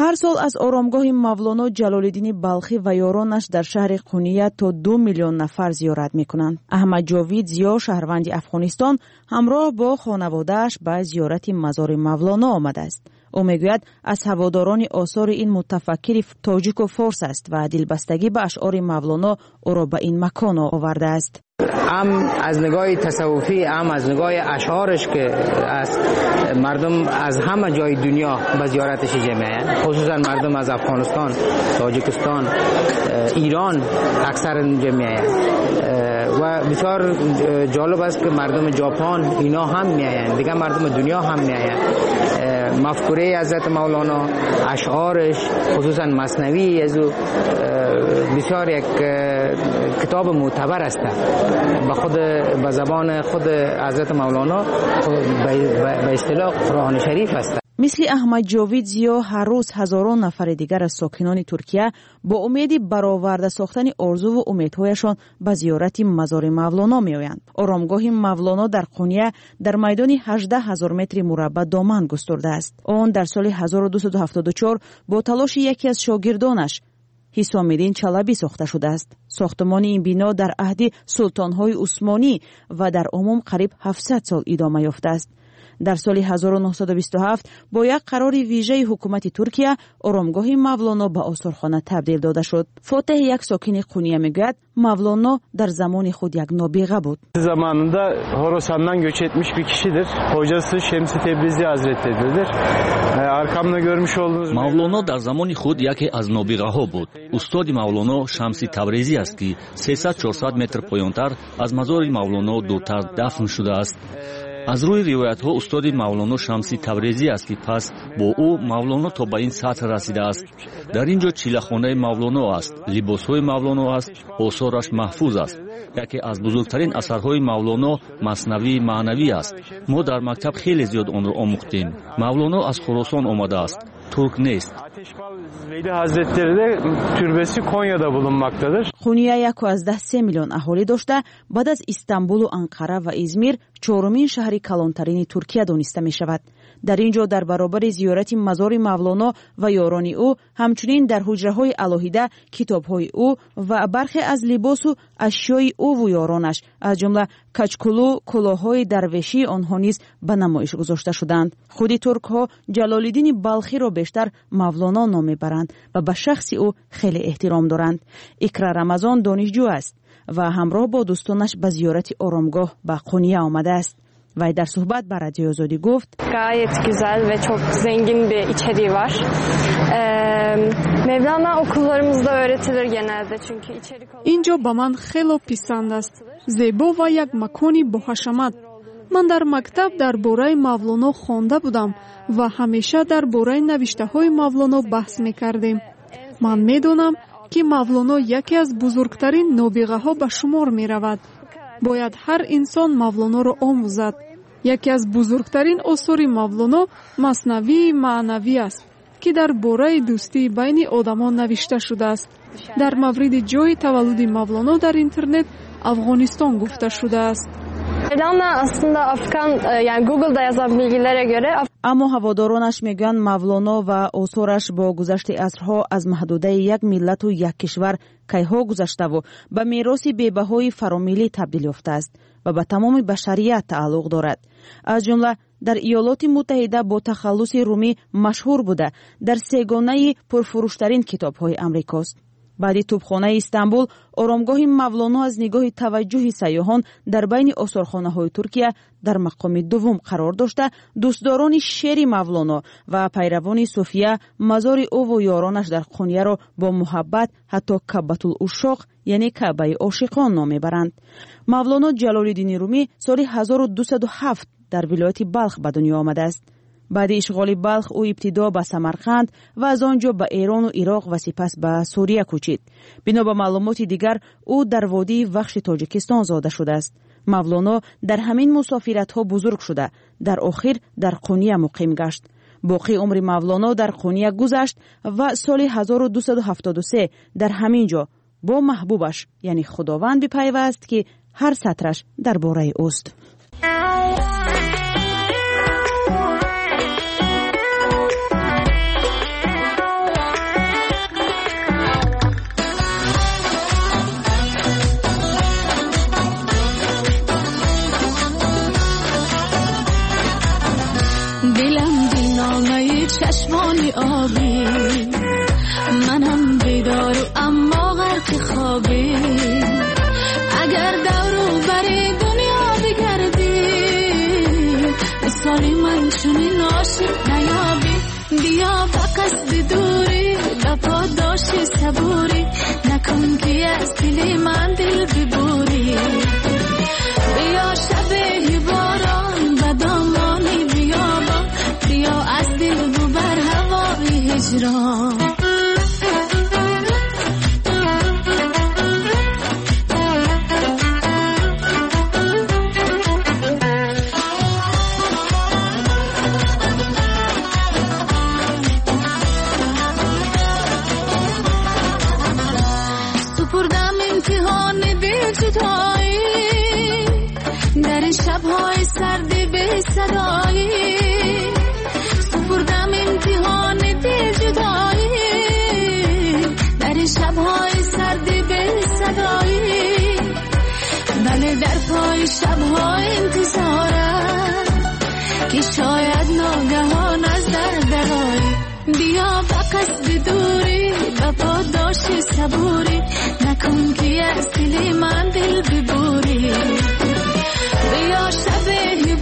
Ҳар сол аз оромгоҳи Мавлоно Ҷалолиддини Балхӣ ва ёронаш дар шаҳри Қуния то ду миллион нафар зиёрат мекунанд. Аҳмад Ҷовид Зиё, шаҳрванди Афғонистон, ҳамроҳ бо хонаводааш ба зиёрати мазори Мавлоно омадааст. Ӯ мегӯяд, аз ҳаводорони осори ин мутафаккири тоҷику форс аст ва дилбастагӣ ба ашъори Мавлоно ӯро ба ин макон овардааст. هم از نگاه تصوفی هم از نگاه اشعارش که از مردم از همه جای دنیا به زیارتش جمعه، خصوصا مردم از افغانستان، تاجیکستان، ایران اکثر جمعه و بسیار جالب است که مردم ژاپن اینا هم میآیند، دیگه مردم دنیا هم میآیند. مفکوره حضرت مولانا، اشعارش، خصوصا مثنوی از او بسیار یک کتاب معتبر است. به خود به زبان خود حضرت مولانا به اصطلاح قرآن شریف است. Мисли Аҳмад Ҷовид Зиё, ҳар рӯз ҳазорон нафари дигар аз сокинони Туркия бо умеди бароварда сохтани орзуву умедҳояшон ба зиёрати мазори Мавлоно меоянд. Оромгоҳи Мавлоно дар Қуния дар майдони ҳаждаҳ ҳазор метри мураббаъ доман густурдааст. Он дар соли ҳазору дусаду ҳафтоду чор бо талоши яке аз шогирдонаш Ҳисомиддин Чалабӣ сохта шудааст. Сохтмони ин бино дар аҳди султонҳои Усмонӣ ва дар умум қариб ҳафтсад сол идома ёфтааст. Дар соли ҳазору нӯҳсаду бисту ҳафт бо як қарори вижаи ҳукумати Туркия оромгоҳи Мавлоно ба осорхона табдил дода шуд. Фотеҳ, як сокини Қуния, мегӯяд, Мавлоно дар замони худ як нобиға буд. Zamanında Horasan'dan göç etmiş bir kişidir. Hocası Şemsi Tebrizi Hazretleridir. Arkamda görmüş olduğunuz Мавлоно дар замони худ яке аз нобиғаҳо буд. Устоди Мавлоно Шамси Табрезӣ аст, ки сесад чорсад метр поёнтар аз мазори Мавлоно дуртар дафн шудааст. Аз рӯи ривоятҳо устоди Мавлоно Шамси Табрезӣ аст, ки пас бо ӯ Мавлоно то ба ин сатҳ расидааст. Дар ин ҷо чилахонаи Мавлоно аст, либосҳои Мавлоно аст, осораш маҳфуз аст. Яке аз бузургтарин асарҳои Мавлоно Маснавии маънавӣ аст. Мо дар мактаб хеле зиёд онро омӯхтем. Мавлоно аз Хуросон омадааст, турк нест. Veli Hazretleri de türbesi Konya'da bulunmaktadır. Қуния яку аз даҳ се миллион аҳолӣ дошта, баъд аз Истанбулу Анқара ва Измир чорумин шаҳри калонтарини Туркия дониста мешавад. Дар ин ҷо дар баробари зиёрати мазори Мавлоно ва ёрони ӯ, ҳамчунин дар ҳуҷраҳои алоҳида китобҳои ӯ ва бархе аз либосу ашёи ӯву ёронаш, аз ҷумла качкулу кулоҳҳои дарвешии онҳо низ ба намоиш гузошта шуданд. Худи туркҳо Ҷалолиддини Балхиро бештар Мавлоно ном мебаранд ва ба шахси ӯ хеле эҳтиром доранд. Икра Рамазон донишҷӯ аст ва ҳамроҳ бо дӯстонаш ба зиёрати оромгоҳ ба Қуния омадааст. Вай дар суҳбат ба Радиои Озодӣ гуфт: Gayet güzel ve çok zengin bir içeriği var. Mevlana okullarımızda öğretilir genelde çünkü içerik Инҷо ба ман хело писанд аст. Зебо ва як макони боҳашамат. Ман дар мактаб дар бораи Мавлоно хонда будам ва ҳамеша дар бораи навиштаҳои Мавлоно баҳс мекардем. Ман медонам, ки Мавлоно яке аз бузургтарин нобиғаҳо ба шумор меравад. Бояд ҳар инсон Мавлоноро омӯзад. Яке аз бузургтарин осори Мавлоно Маснавии маънавӣ аст, ки дар бораи дӯстии байни одамон навишта шудааст. Дар мавриди ҷойи таваллуди Мавлоно дар интернет Афғонистон гуфта шудааст. Mevlana aslında Afgan, yani Google'da yazan bilgilere göre Аммо ҳаводоронаш мегӯянд, Мавлоно ва осораш бо гузашти асрҳо аз маҳдудаи як миллату як кишвар кайҳо гузаштаву ба мероси бебаҳои фаромиллӣ табдил ёфтааст ва ба тамоми башарият тааллуқ дорад. Аз ҷумла дар Иёлоти Муттаҳида бо тахаллуси Румӣ машҳур буда, дар сегонаи пурфурӯштарин китобҳои амрикост. Баъди тӯбхонаи Истанбул, оромгоҳи Мавлоно аз нигоҳи таваҷҷӯҳи сайёҳон дар байни осорхонаҳои Туркия дар мақоми дуввум қарор дошта, дӯстдорони шеъри Мавлоно ва пайравони суфия мазори ӯву ёронаш дар Қунияро бо муҳаббат ҳатто Кабатул Ушоқ, яъне Каъбаи ошиқон ном мебаранд. Мавлоно Ҷалолиддини Румӣ соли ҳазору дусаду ҳафт дар вилояти Балх ба дунё омадааст. Баъди ишғоли Балх ӯ ибтидо ба Самарқанд ва аз он ҷо ба Эрону Ироқ ва сипас ба Сурия кӯчид. Бино ба маълумоти дигар, ӯ дар водии Вахши Тоҷикистон зода шудааст. Мавлоно дар ҳамин мусофиратҳо бузург шуда, дар охир дар Қуния муқим гашт. Боқии умри Мавлоно дар Қуния гузашт ва соли ҳазору дусаду ҳафтоду се дар ҳамин ҷо бо маҳбубаш, яъне Худованд, бипайваст, ки ҳар сатраш дар бораи ӯст. چشمانی آبی، منم بیدار و اما غرق خوابی. اگر دور و بر دنیا بگردی، مثال من چنین عاشق نیابی. بیا به قصد دوری، به پاداش صبوری، نکن که از دل من دل ببوری. بیا شب باران به دامان بیابان، بیا از دل ببر هوای هجران. سپردم امتحان دل جدایی، در این شب‌های سرد بی صدایی. سپردم امتحان دل جدایی، در این شب‌های سرد بی صدایی. بله در پای شب‌های انتظارم که شاید ناگهان از در درایی. بیا به قصد دوری، به پاداش صبوری، نکن که از دل من دل ببوری. بیا شب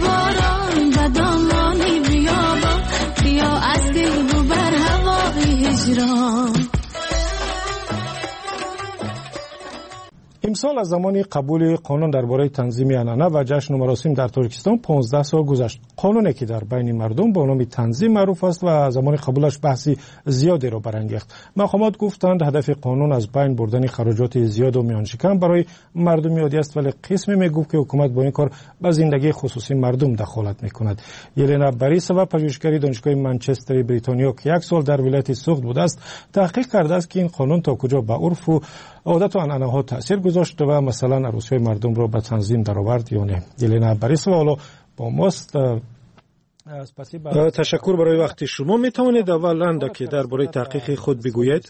باران به دامان بیابان، بیا از دل ببر هوای هجران. Имсол аз замони қабули қонун дар бораи танзими анъана ва ҷашну маросим дар Тоҷикистон понздаҳ сол гузашт. Қонуне ки дар байни мардум бо номи танзим маъруф аст ва замони қабулаш баҳси зиёдеро барангехт. Мақомот гуфтанд, ҳадафи қонун аз байн бурдани хароҷоти зиёду миёншикан барои мардуми оддӣ аст, вале қисме мегуфт, ки ҳукумат бо ин кор ба зиндагии хусусии мардум дахолат мекунад. Елена Борисова, пажӯҳишгари Донишгоҳи Манчестери Бритониё, ки як сол дар вилояти Суғд будааст, таҳқиқ кардааст, ки ин қонун то куҷо ба урфу одату анъанаҳо таъсир гузошт ва масалан арӯсиҳои мардумро ба танзим даровард ё не. Елена Борисова ҳоло бо мост. Ташаккур барои вақти шумо. Метавонед аввал андаке дар бораи таҳқиқи худ бигӯед?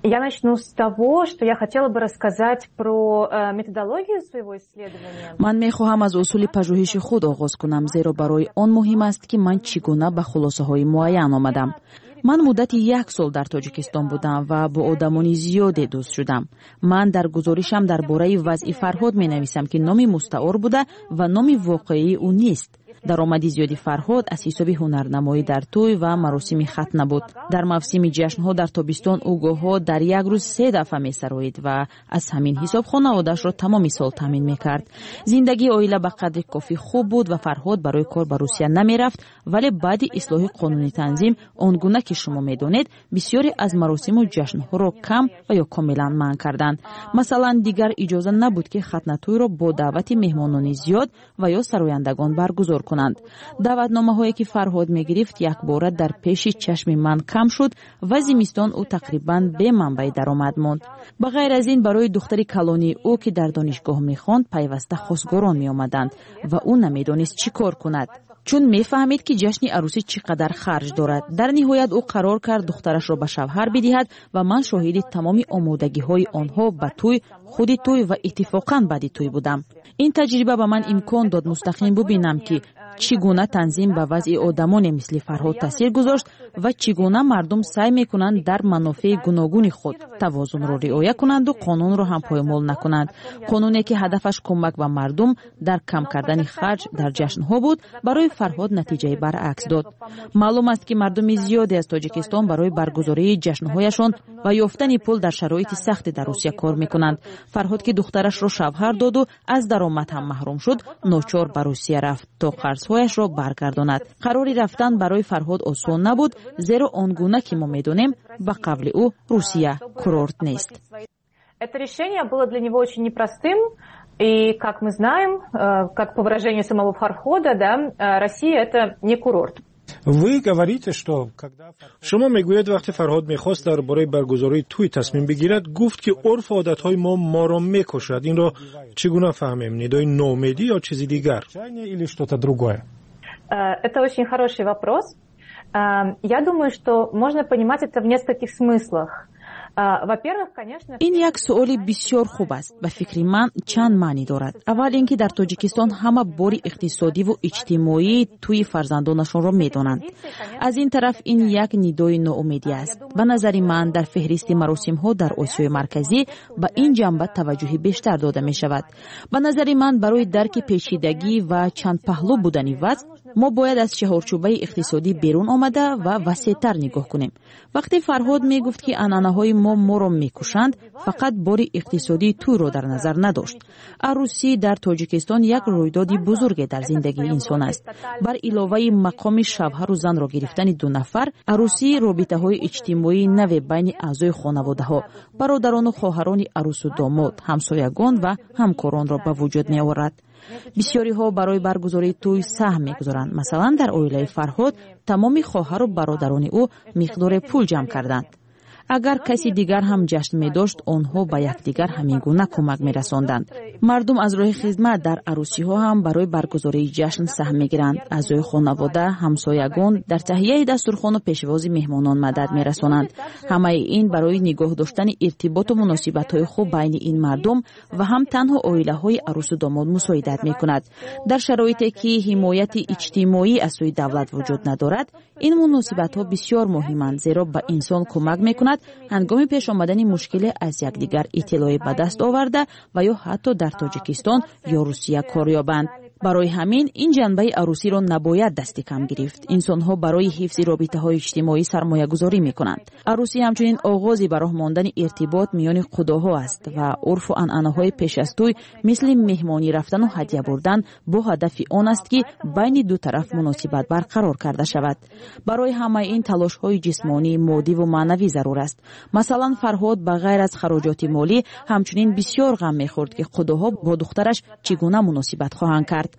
Я начну с того, что я хотела бы рассказать про методологию своего исследования. Ман мехоҳам аз усули пажӯҳиши худ оғоз кунам, зеро барои он муҳим аст, ки ман чӣ гуна ба хулосаҳои муайян омадам. Ман муддати як сол дар Тоҷикистон будам ва бо одамони зиёде дӯст шудам. Ман дар гузоришам дар бораи вазъи Фарҳод менависам, ки номи мустаор буда ва номи воқеии ӯ нест. Даромади зиёди Фарҳод аз ҳисоби ҳунарнамоӣ дар тӯй ва маросими хатна буд. Дар мавсими ҷашнҳо дар тобистон ӯ гоҳҳо дар як рӯз се дафъа месароид ва аз ҳамин ҳисоб хонаводаашро тамоми сол таъмин мекард. Зиндагии оила ба қадри кофӣ хуб буд ва Фарҳод барои кор ба Русия намерафт, вале баъди ислоҳи қонуни танзим, он гуна ки шумо медонед, бисёре аз маросиму ҷашнҳоро кам ва ё комилан манъ карданд. Масалан, дигар иҷоза набуд, ки хатнатӯйро бо даъвати меҳмонони зиёд ва ё сарояндагон баргузор кунанд. Даъватномаҳое ки Фарҳод мегирифт, якбора дар пеши чашми ман кам шуд ва зимистон ӯ тақрибан беманбаи даромад монд. Ба ғайр аз ин, барои духтари калонии ӯ, ки дар донишгоҳ мехонд, пайваста хосгорон меомаданд ва ӯ намедонист чӣ кор кунад, чун мефаҳмид, ки ҷашни арӯсӣ чӣ қадар харҷ дорад. Дар ниҳоят ӯ қарор кард духтарашро ба шавҳар бидиҳад ва ман шоҳиди тамоми омодагиҳои онҳо ба тӯй, худи тӯй ва иттифоқан баъди тӯй будам. Ин таҷриба ба ман имкон дод мустақим бубинам, ки чӣ гуна танзим ба вазъи одамоне мисли Фарҳод таъсир гузошт ва чӣ гуна мардум саъй мекунанд дар манофеи гуногуни худ тавозунро риоя кунанду қонунро ҳам поймол накунанд. Қонуне ки ҳадафаш кӯмак ба мардум дар кам кардани харҷ дар ҷашнҳо буд, барои Фарҳод натиҷаи баръакс дод. Маълум аст, ки мардуми зиёде аз Тоҷикистон барои баргузории ҷашнҳояшон ва ёфтани пул дар шароити сахте дар Русия кор мекунанд. Фарҳод, ки духтарашро шавҳар доду аз даромад ҳам маҳрум шуд, ночор ба Русия рафт то қарзҳояшро баргардонад. Қарори рафтан барои Фарҳод осон набуд, зеро он гуна ки мо медонем, ба қавли ӯ, Русия курорт нест. Это решение было для него очень непростым. И, как мы знаем, как по выражению самого Фархода, да, Россия – это не курорт. Вы говорите, что когда Шумо мегӯед, вақте Фарҳод мехост дар бораи баргузории тӯй тасмим бигирад, гуфт, ки урфу одатҳои мо моро мекушад. Инро чӣ гуна фаҳмем? Нидои ноумедӣ ё чизи дигар? Или что-то другое? Это очень хороший вопрос. Я думаю, что можно понимать это в нескольких смыслах. Ин як суоли бисёр хуб аст. Ба фикри ман, чанд маънӣ дорад. Аввал ин ки дар Тоҷикистон ҳама бори иқтисодиву иҷтимоии тӯи фарзандонашонро медонанд. Аз ин тараф, ин як нидои ноумедӣ аст. Ба назари ман, дар феҳристи маросимҳо дар Осиёи Марказӣ ба ин ҷанба таваҷҷӯҳи бештар дода мешавад. Ба назари ман, барои дарки печидагӣ ва чандпаҳлӯ будани вазъ мо бояд аз чаҳорчӯбаи иқтисодӣ берун омада ва васеътар нигоҳ кунем. Вақте Фарҳод мегуфт, ки анъанаҳои мо моро мекушанд, фақат бори иқтисодии тӯйро дар назар надошт. Арӯсӣ дар Тоҷикистон як рӯйдоди бузурге дар зиндагии инсон аст. Бар иловаи мақоми шавҳару занро гирифтани ду нафар, арӯсӣ робитаҳои иҷтимоии наве байни аъзои хонаводаҳо, бародарону хоҳарони арӯсу домод, ҳамсоягон ва ҳамкоронро ба вуҷуд меорад. Бисёриҳо барои баргузории тӯй саҳм мегузоранд. Масалан, дар оилаи Фарҳод тамоми хоҳару бародарони ӯ миқдоре пул ҷамъ карданд. Агар каси дигар ҳам ҷашн медошт, онҳо ба якдигар ҳамин гуна кӯмак мерасонданд. Мардум аз роҳи хизмат дар арӯсиҳо ҳам барои баргузории ҷашн саҳм мегиранд. Аъзои хонавода, ҳамсоягон дар таҳияи дастурхону пешвози меҳмонон мадад мерасонанд. Ҳамаи ин барои нигоҳ доштани иртиботу муносибатҳои хуб байни ин мардум ва ҳам танҳо оилаҳои арӯсу домод мусоидат мекунад. Дар шароите ки ҳимояти иҷтимоӣ аз сӯи давлат вуҷуд надорад, ин муносибатҳо бисёр муҳиманд, зеро ба инсон кӯмак мекунад ҳангоми пеш омадани мушкиле аз якдигар иттилоъе ба даст оварда ва ё ҳатто дар Тоҷикистон ё Русия кор ёбанд. Барои ҳамин ин ҷанбаи арӯсиро набояд дасти кам гирифт. Инсонҳо барои ҳифзи робитаҳои иҷтимоӣ сармоягузорӣ мекунанд. Арӯсӣ ҳамчунин оғози ба роҳ мондани иртибот миёни қудоҳо аст ва урфу анъанаҳои пеш аз тӯй, мисли меҳмонӣ рафтану ҳадя бурдан, бо ҳадафи он аст, ки байни ду тараф муносибат барқарор карда шавад. Барои ҳамаи ин талошҳои ҷисмонӣ, моддиву маънавӣ зарур аст. Масалан, Фарҳод ба ғайр аз хароҷоти молӣ ҳамчунин бисёр ғам мехӯрд, ки қудоҳо бо духтараш чӣ гуна муносибат хоҳанд кард.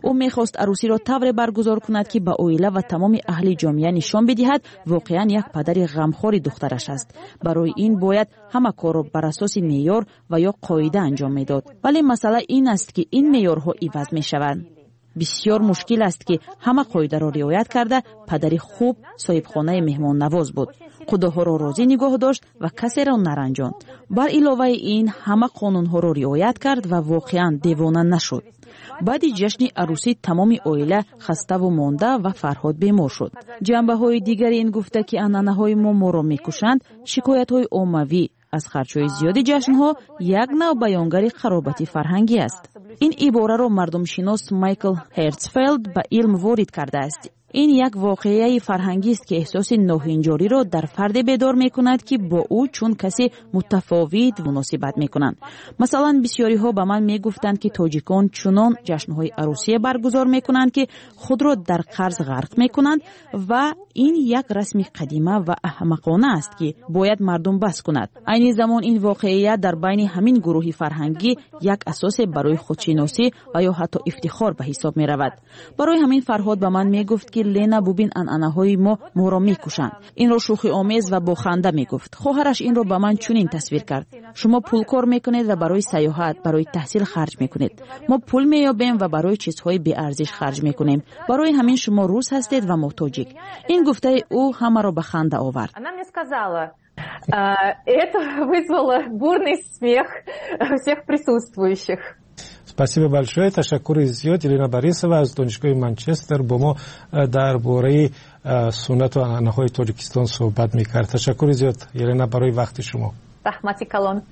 Ӯ мехост арӯсиро тавре баргузор кунад, ки ба оила ва тамоми аҳли ҷомеа нишон бидиҳад, воқеан як падари ғамхори духтараш аст. Барои ин бояд ҳама корро бар асоси меъёр ва ё қоида анҷом медод. Вале масъала ин аст, ки ин меъёрҳо иваз мешаванд. Бисёр мушкил аст, ки ҳама қоидаро риоят карда, падари хуб, соҳибхонаи меҳмоннавоз буд. Худоҳоро розӣ нигоҳ дошт ва касеро наранҷонд. Бар иловаи ин ҳама қонунҳоро риоят кард ва воқеан девона нашуд. Баъди ҷашни арӯсӣ тамоми оила хаставу монда ва Фарҳод бемор шуд. Ҷанбаҳои дигари ин гуфта, ки анъанаҳои мо моро мекушанд, шикоятҳои оммавӣ аз харҷҳои зиёди ҷашнҳо як нав баёнгари қаробати фарҳангӣ аст. Ин ибораро мардумшинос Майкл Ҳертсфелд ба илм ворид кардааст. Ин як воқеаи фарҳангист, ки эҳсоси ноҳинҷориро дар фарде бедор мекунад, ки бо ӯ чун касе мутафовит муносибат мекунанд. Масалан, бисёриҳо ба ман мегуфтанд, ки тоҷикон чунон ҷашнҳои арӯсие баргузор мекунанд, ки худро дар қарз ғарқ мекунанд ва ин як расми қадима ва аҳмақона аст, ки бояд мардум бас кунад. Айни замон ин воқеият дар байни ҳамин гурӯҳи фарҳангӣ як асосе барои худшиносӣ ва ё ҳатто ифтихор ба ҳисоб меравад. Барои ҳамин Фарҳод ба ман мегуфт, ки Лена, бубин, анъанаҳои мо моро мекушанд. Инро шӯхиомез ва бо ханда мегуфт. Хоҳараш инро ба ман чунин тасвир кард: шумо пул кор мекунед ва барои сайёҳат, барои таҳсил харҷ мекунед. Мо пул меёбем ва барои чизҳои беарзиш харҷ мекунем. Барои ҳамин шумо рус ҳастед ва мо тоҷик. Ин гуфтаи ӯ ҳамаро ба ханда овард. Она мне сказала, это вызвало бурный смех всех присутствующих. Спасибо большое. Ташаккури зиёд. Елена Борисова аз донишгоҳи Манчестер бо мо дар бораи суннату анъанаҳои Тоҷикистон суҳбат мекард. Ташаккури зиёд, Елена, барои вақти шумо. Раҳмати калон.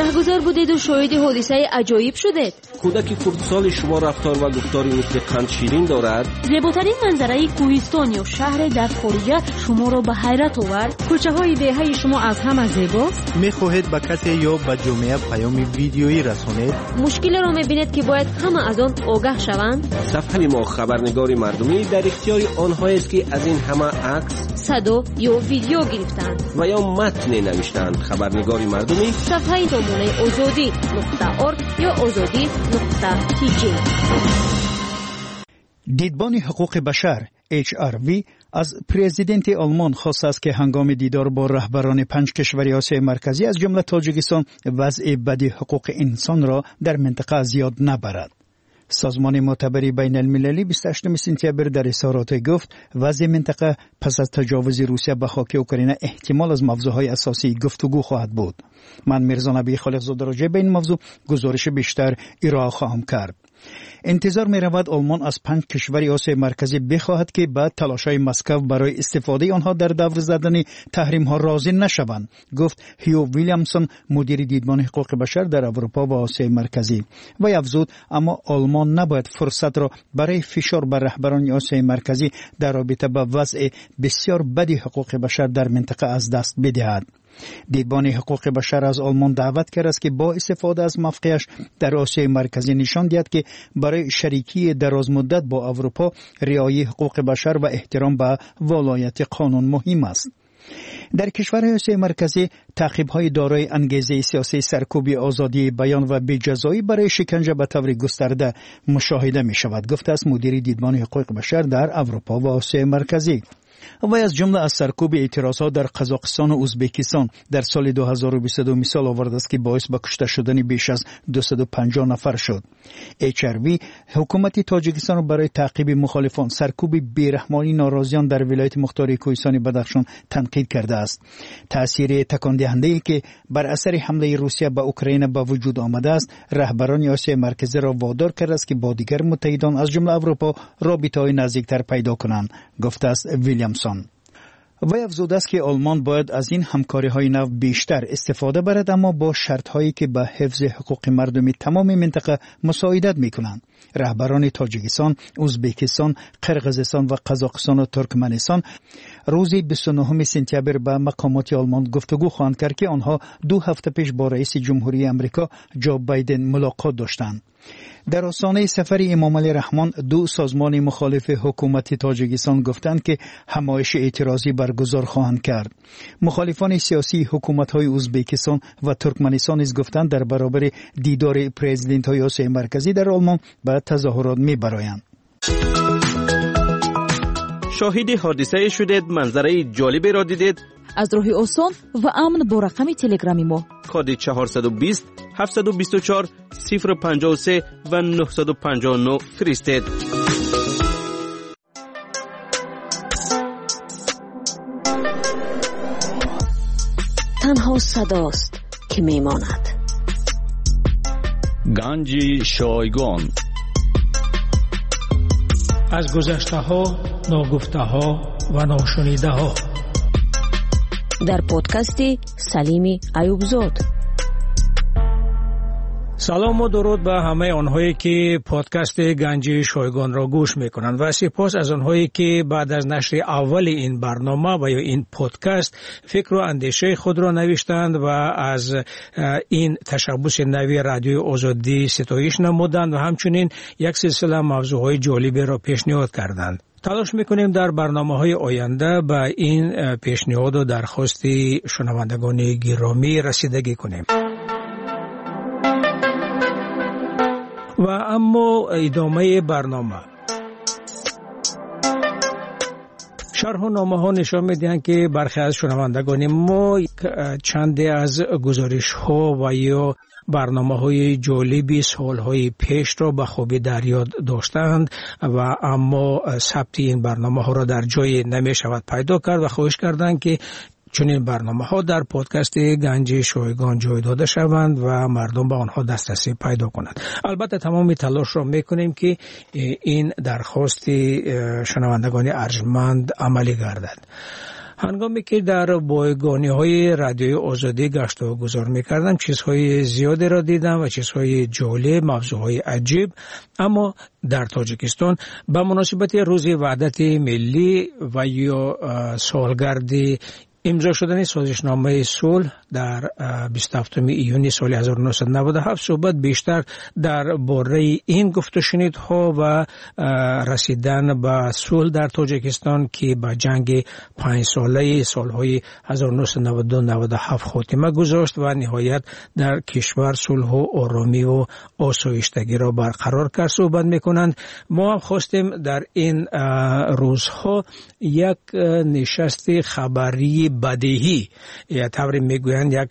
Раҳгузар будеду шоҳиди ҳодисаи аҷоиб шудед? Кӯдаки хурдсоли шумо рафтор ва гуфтори мисли қандширин дорад? Зеботарин манзараи кӯҳистон ё шаҳре дар хориҷа шуморо ба ҳайрат овард? Кӯчаҳои деҳаи шумо аз ҳама зебост? Мехоҳед ба касе ё ба ҷомеа паёми видеоӣ расонед? Мушкилеро мебинед, ки бояд ҳама аз он огаҳ шаванд? Сафҳаи мо хабарнигори мардумӣ дар ихтиёри онҳоест, ки аз ин ҳама акс, садо ё видео гирифтаанд ва ё матне навиштаанд. Хабарнигори мардумӣ сафҳаи сомонаи озодӣ нуқта орг ё озодӣ нуқта тиҷи. Дидбони ҳуқуқи башар Эйч Ар Ви аз президенти Олмон хостааст, ки ҳангоми дидор бо раҳбарони панҷ кишвари Осиёи Марказӣ аз ҷумла Тоҷикистон вазъи бади ҳуқуқи инсонро дар минтақа зиёд набарад. Созмони мӯътабари байналмилалӣ бисту ҳаштуми сентябр дар изҳороте гуфт, вазъи минтақа пас аз таҷовузи Русия ба хоки Украина эҳтимол аз мавзӯъҳои асосии гуфтугӯ хоҳад буд. Ман Мирзо Набӣ Холиқзода роҷеъ ба ин мавзӯъ гузориши бештар ироа хоҳам кард. Интизор меравад Олмон аз панҷ кишвари Осиёи Марказӣ бихоҳад, ки ба талошҳои Москав барои истифодаи онҳо дар давр задани таҳримҳо розӣ нашаванд, гуфт Ҳю Вилямсон, мудири дидбони ҳуқуқи башар дар Аврупо ва Осиёи Марказӣ. Вай афзуд, аммо Олмон набояд фурсатро барои фишор бар раҳбарони Осиёи Марказӣ дар робита ба вазъи бисёр бади ҳуқуқи башар дар минтақа аз даст бидиҳад. Дидбони ҳуқуқи башар аз Олмон даъват кардааст, ки бо истифода аз мавқеаш дар Осиёи Марказӣ нишон диҳад, ки барои шарикии дарозмуддат бо Аврупо риояи ҳуқуқи башар ва эҳтиром ба волояти қонун муҳим аст. Дар кишварҳои Осиёи Марказӣ таъқибҳои дорои ангезаи сиёсӣ, саркӯби озодии баён ва беҷазоӣ барои шиканҷа ба таври густарда мушоҳида мешавад, гуфтааст мудири дидбони ҳуқуқи башар дар Аврупо ва Осиёи Марказӣ. Вай аз ҷумла аз саркӯби эътирозҳо дар Қазоқистон ва Ӯзбекистон дар соли ду ҳазору бисту ду мисол овардааст, ки боис ба кушта шудани беш аз дусаду панҷоҳ нафар шуд. Эйч Ар Ви ҳукумати Тоҷикистонро барои таъқиби мухолифон, саркӯби бераҳмонии норозиён дар вилояти мухтори кӯҳистони Бадахшон танқид кардааст. Таъсири такондиҳандае, ки бар асари ҳамлаи Русия ба Украина ба вуҷуд омадааст, раҳбарони Осиёи Марказиро водор кардааст, ки бо дигар муттаҳидон аз ҷумла Аврупо робитаҳои наздиктар пайдо кунанд, гуфтааст Вилямсон. Вай афзудааст, ки Олмон бояд аз ин ҳамкориҳои нав бештар истифода барад, аммо бо шартҳое, ки ба ҳифзи ҳуқуқи мардуми тамоми минтақа мусоидат мекунанд. Раҳбарони Тоҷикистон, Ӯзбекистон, Қирғизистон ва Қазоқистон ва Туркманистон рӯзи бисту нӯҳуми сентябр ба мақомоти Олмон гуфтугӯ хоҳанд кард, ки онҳо ду ҳафта пеш бо раиси ҷумҳурии Амрико Ҷо Байден мулоқот доштанд. Дар остонаи сафари Эмомалӣ Раҳмон ду созмони мухолифи ҳукумати Тоҷикистон гуфтанд, ки ҳамоиши эътирозӣ баргузор хоҳанд кард. Мухолифони сиёсии ҳукуматҳои Ӯзбекистон ва Туркманистон низ гуфтанд, дар баробари дидори президентҳои Осиёи Марказӣ дар Олмон ба тазоҳурот мебароянд. Шоҳиди ҳодисае шудед, манзараи ҷолиберо дидед. Аз роҳи осон ва амн бо рақами телеграми мо коди чорсаду бист, ҳафтсаду бисту чор, сифр панҷоҳу се ва нӯҳсаду панҷоҳу нӯҳ фиристед. Танҳо садост ки мемонад. Ганҷи шойгон. Аз гузаштаҳо, ногуфтаҳо ва ношунидаҳо. Дар подкасти Салими Аюбзод. Салом ва дуруд ба ҳамаи онҳое ки подкасти Ганҷи Шойгонро гӯш мекунанд ва сипос аз онҳое ки баъд аз нашри аввали ин барнома ва ё ин подкаст фикру андешаи худро навиштанд ва аз ин ташаббуси нави Радиои Озодӣ ситоиш намуданд ва ҳамчунин як силсила мавзӯъҳои ҷолиберо пешниҳод карданд. Талош мекунем дар барномаҳои оянда ба ин пешниҳоду дархости шунавандагони гиромӣ расидагӣ кунем. Ва аммо идомаи барнома. Шарҳу номаҳо нишон медиҳанд ки бархе аз шунавандагони мо чанде аз гузоришҳо ва ё барномаҳои ҷолиби солҳои пешро ба хубӣ дар ёд доштаанд ва аммо сабти ин барномаҳоро дар ҷое намешавад пайдо кард ва хоҳиш карданд ки чунин барномаҳо дар подкасти Ганҷи Шойгон ҷой дода шаванд ва мардум ба онҳо дастрасӣ пайдо кунанд. Албатта тамоми талошро мекунем ки ин дархости шунавандагони арҷманд амалӣ гардад. Ҳангоме ки дар бойгониҳои Радиои Озодӣ гашту гузор мекардам, чизҳои зиёдеро дидам ва чизҳои ҷолиб, мавзӯъҳои аҷиб. Аммо дар Тоҷикистон ба муносибати Рӯзи Ваҳдати Миллӣ ва ё солгарди имзо шудани созишномаи сулҳ дар бисту ҳафтуми июни соли ҳазору нӯҳсаду наваду ҳафт суҳбат бештар дар бораи ин гуфтушунидҳо ва расидан ба сулҳ дар Тоҷикистон ки ба ҷанги панҷсолаи солҳои ҳазору нӯҳсаду наваду ду наваду ҳафт хотима гузошт ва ниҳоят дар кишвар сулҳу оромиву осоиштагиро барқарор кард суҳбат мекунанд. Мо ҳам хостем дар ин рӯзҳо як нишасти хабарии бадеҳӣ, я тавре мегӯянд як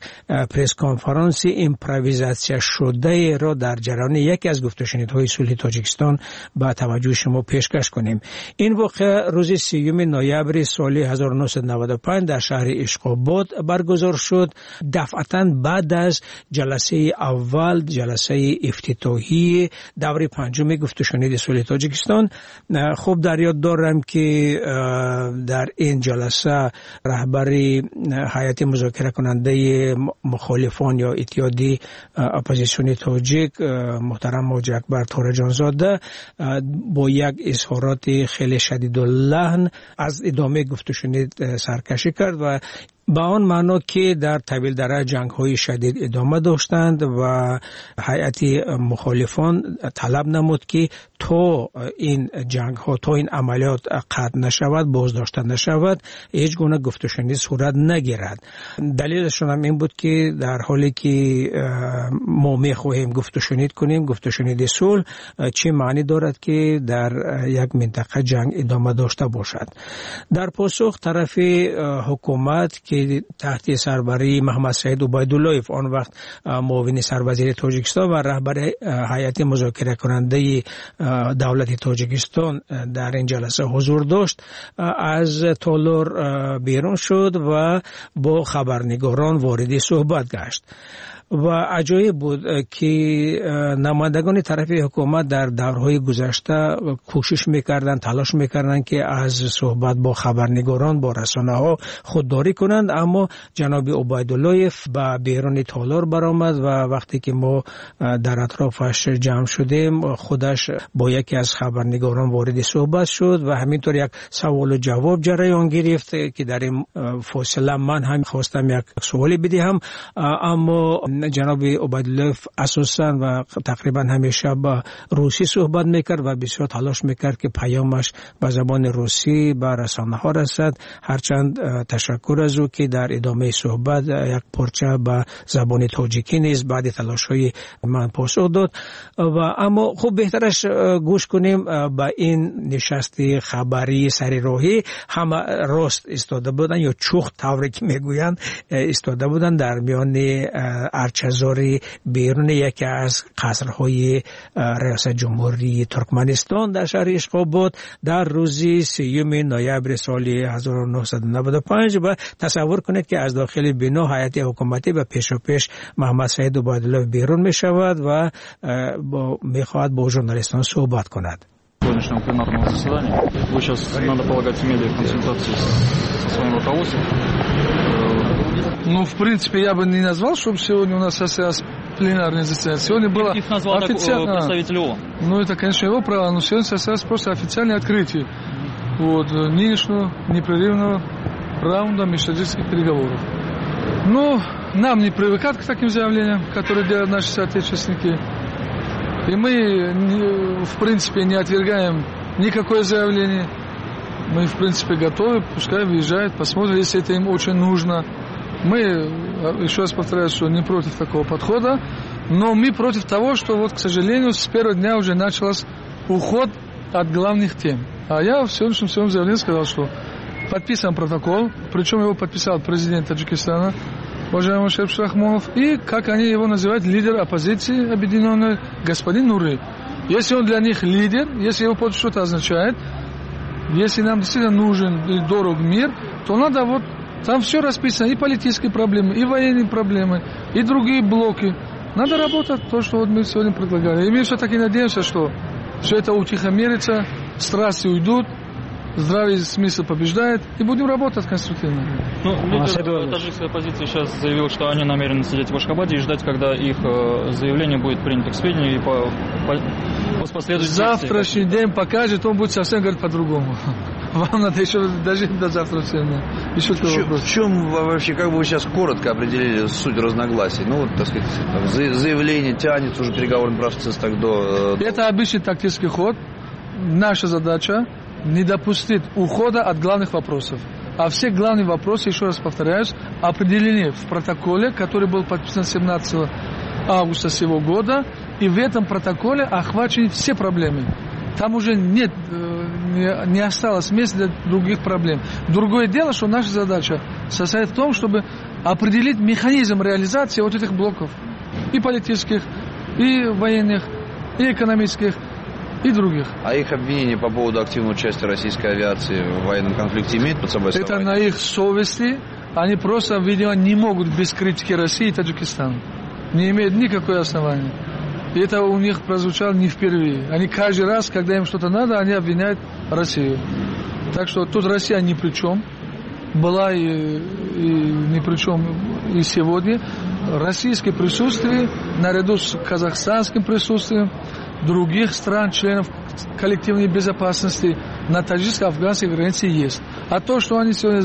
пресс-конференси импровизатсия шудаеро дар ҷараёни яке аз гуфтушунидҳои сулҳи Тоҷикистон ба таваҷҷӯҳи шумо пешкаш кунем. Ин воқеа рӯзи сиюми ноябри соли ҳазору нӯҳсаду наваду панҷ дар шаҳри Ишқобод баргузор шуд. Дафъатан баъд аз ҷаласаи аввал, ҷаласаи ифтитоҳии даври панҷуми гуфтушуниди сулҳи Тоҷикистон. Хуб дар ёд дорам ки дар ин ҷаласа раҳбари ҳайати музокиракунандаи мухолифон ё иттиҳоди оппозитсиони тоҷик муҳтарам Ҳоҷи Акбар Тораҷонзода бо як изҳороти хеле шадидуллаҳн аз идомаи гуфтушунид саркашӣ кард ва ба он маъно ки дар Тавилдара ҷангҳои шадид идома доштанд ва ҳайати мухолифон талаб намуд ки то ин ҷангҳо, то ин амалиёт қатъ нашавад, боздошта нашавад, ҳеҷ гуна гуфтушунид сурат нагирад. Далелашон ҳам ин буд ки дар ҳоле ки мо мехоҳем гуфтушунид кунем, гуфтушуниди сулҳ, чӣ маънӣ дорад ки дар як минтақа ҷанг идома дошта бошад. Дар посух тарафи ҳукумат ки таҳти сарбарии Муҳаммад Саид Убайдуллоев, он вақт муовини сарвазири Тоҷикистон ва раҳбари ҳайати музокиракунандаи давлати Тоҷикистон дар ин ҷаласа ҳузур дошт, аз толор берун шуд ва бо хабарнигорон вориди суҳбат гашт. Ва аҷоиб буд ки намояндагони тарафи ҳукумат дар даврҳои гузашта кӯшиш мекарданд, талош мекарданд ки аз суҳбат бо хабарнигорон, бо расонаҳо худдорӣ кунанд, аммо ҷаноби Убайдуллоев ба беруни толор баромад ва вақте ки мо дар атрофаш ҷамъ шудем, худаш бо яке аз хабарнигорон вориди суҳбат шуд ва ҳаминтавр як саволу ҷавоб ҷараён гирифт ки дар ин фосила ман ҳам хостам як суоле бидиҳам, аммо ҷаноби Убайдуллоев асосан ва тақрибан ҳамеша ба русӣ суҳбат мекард ва бисёр талош мекард ки паёмаш ба забони русӣ ба расонаҳо расад. Ҳарчанд ташаккур аз ӯ ки дар идомаи суҳбат як порча ба забони тоҷикӣ низ баъди талошҳои ман посух дод. Ва аммо хуб беҳтараш гӯш кунем ба ин нишасти хабарии сари роҳӣ. Ҳама рост истода буданд ё чух тавре ки мегӯянд истода буданд дар миёни арчазори беруни яке аз қасрҳои риёсати ҷумҳурии Туркманистон дар шаҳри Ишқобод дар рӯзи сеюми ноябри соли ҳазору нӯҳсаду наваду панҷ. Ва тасаввур кунед ки аз дохили бино ҳайати ҳукуматӣ ба пешопеш Муҳаммадсаид Убайдуллоев берун мешавад ва мехоҳад бо журналистон суҳбат кунад. Сегодняшнего пленарного заседания. Вы сейчас, надо полагать, имели консультации со своим руководством. Ну, в принципе, я бы не назвал, чтобы сегодня у нас состоялось пленарное заседание. Сегодня было их назвал официально... представитель ООН. Ну, это, конечно, его право, но сегодня состоялось просто официальное открытие вот, нынешнего непрерывного раунда межтаджикских переговоров. Ну, нам не привыкать к таким заявлениям, которые делают наши соотечественники. И мы, в принципе, не отвергаем никакое заявление. Мы, в принципе, готовы, пускай выезжают, посмотрят, если это им очень нужно. Мы, еще раз повторяю, что не против такого подхода, но мы против того, что, вот, к сожалению, с первого дня уже начался уход от главных тем. А я в сегодняшнем своем заявлении сказал, что подписан протокол, причем его подписал президент Таджикистана, уважаемый Шериф Рахмонов, и, как они его называют, лидер оппозиции объединенной, господин Нури. Если он для них лидер, если его подпись что-то означает, если нам действительно нужен и дорог мир, то надо вот... Там все расписано, и политические проблемы, и военные проблемы, и другие блоки. Надо работать то, что вот мы сегодня предлагали. И мы все-таки надеемся, что все это утихомирится, страсти уйдут, здравый смысл побеждает, и будем работать конструктивно. Ну, лидер таджикской оппозиции сейчас заявил, что они намерены сидеть в Ашхабаде и ждать, когда их заявление будет принято к сведению и по, по, последует. Завтрашний день покажет, он будет совсем говорить по-другому. Вам надо еще дожить до завтра всем. Еще в, чем, в чем вообще, как бы вы сейчас коротко определили суть разногласий? Ну, вот, так сказать, там, заявление тянется уже переговорный процесс так до... Это обычный тактический ход. Наша задача не допустить ухода от главных вопросов. А все главные вопросы, еще раз повторяюсь, определены в протоколе, который был подписан семнадцатого августа сего года. И в этом протоколе охвачены все проблемы. Там уже нет, не, не осталось места для других проблем. Другое дело, что наша задача состоит в том, чтобы определить механизм реализации вот этих блоков. И политических, и военных, и экономических, и других. А их обвинения по поводу активного участия российской авиации в военном конфликте имеют под собой основание? Это на их совести. Они просто, видимо, не могут без критики России и Таджикистана. Не имеют никакого основания. И это у них прозвучало не впервые. Они каждый раз, когда им что-то надо, они обвиняют Россию. Так что тут Россия ни при чем. Была и, и ни при чем и сегодня. Российское присутствие, наряду с казахстанским присутствием, других стран, членов коллективной безопасности на таджикско-афганской границе есть. А то, что они сегодня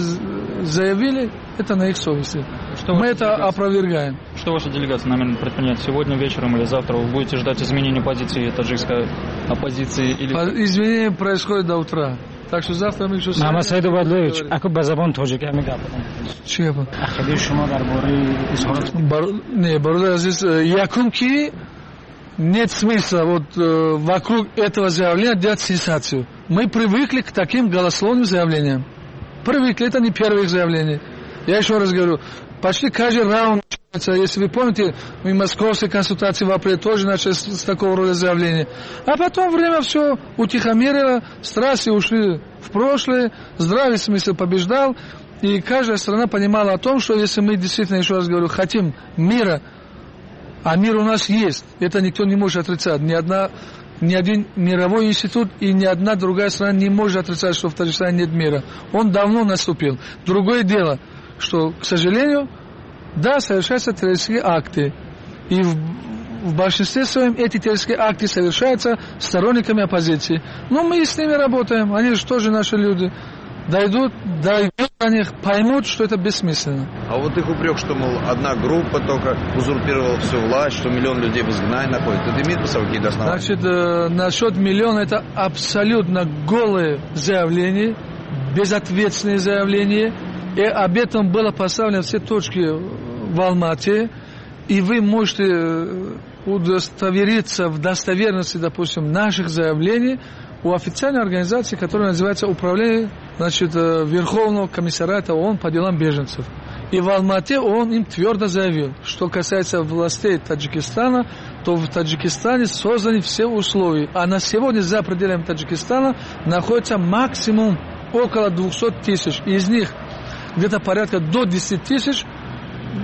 заявили, это на их совести. Что Мы это опровергаем. Что ваша делегация намерена предпринять сегодня вечером или завтра? Вы будете ждать изменения позиции таджикской оппозиции? Или... Изменения происходят до утра. Так что завтра мы еще... Муҳаммадсаид Убайдуллоевич, ако ба забони тоҷикӣ ҳамин гап бизанед. Чӣ гап? Ақидаи шумо дар бораи изҳорот... Бар... Не, бародар азиз, якум ки нет смысла вот э, вокруг этого заявления делать сенсацию. Мы привыкли к таким голословным заявлениям. Привыкли, это не первое их заявление. Я еще раз говорю, почти каждый раунд, если вы помните, мы московские консультации в апреле тоже начали с, с такого рода заявления. А потом время все утихомирило, страсти ушли в прошлое, здравый смысл побеждал. И каждая страна понимала о том, что если мы действительно, еще раз говорю, хотим мира, а мир у нас есть, это никто не может отрицать. Ни одна, ни один мировой институт и ни одна другая страна не может отрицать, что в Таджикистане нет мира. Он давно наступил. Другое дело, что, к сожалению, да, совершаются террористические акты. И в, в большинстве своем эти террористические акты совершаются сторонниками оппозиции. Но мы с ними работаем, они же тоже наши люди. Дойдут, дойдут до них, поймут, что это бессмысленно. А вот их упрек, что, мол, одна группа только узурпировала всю власть, что миллион людей в изгнании находится. Это имеет под собой какие-то основания? Значит, э, насчет миллиона это абсолютно голые заявления, безответственные заявления. И об этом было поставлено все точки в Алмате, и вы можете удостовериться в достоверности, допустим, наших заявлений у официальной организации, которая называется Управление, значит, Верховного комиссариата ООН по делам беженцев. И в Алмате он им твердо заявил, что касается властей Таджикистана, то в Таджикистане созданы все условия. А на сегодня за пределами Таджикистана находится максимум около двухсот тысяч. Из них где-то порядка до десяти тысяч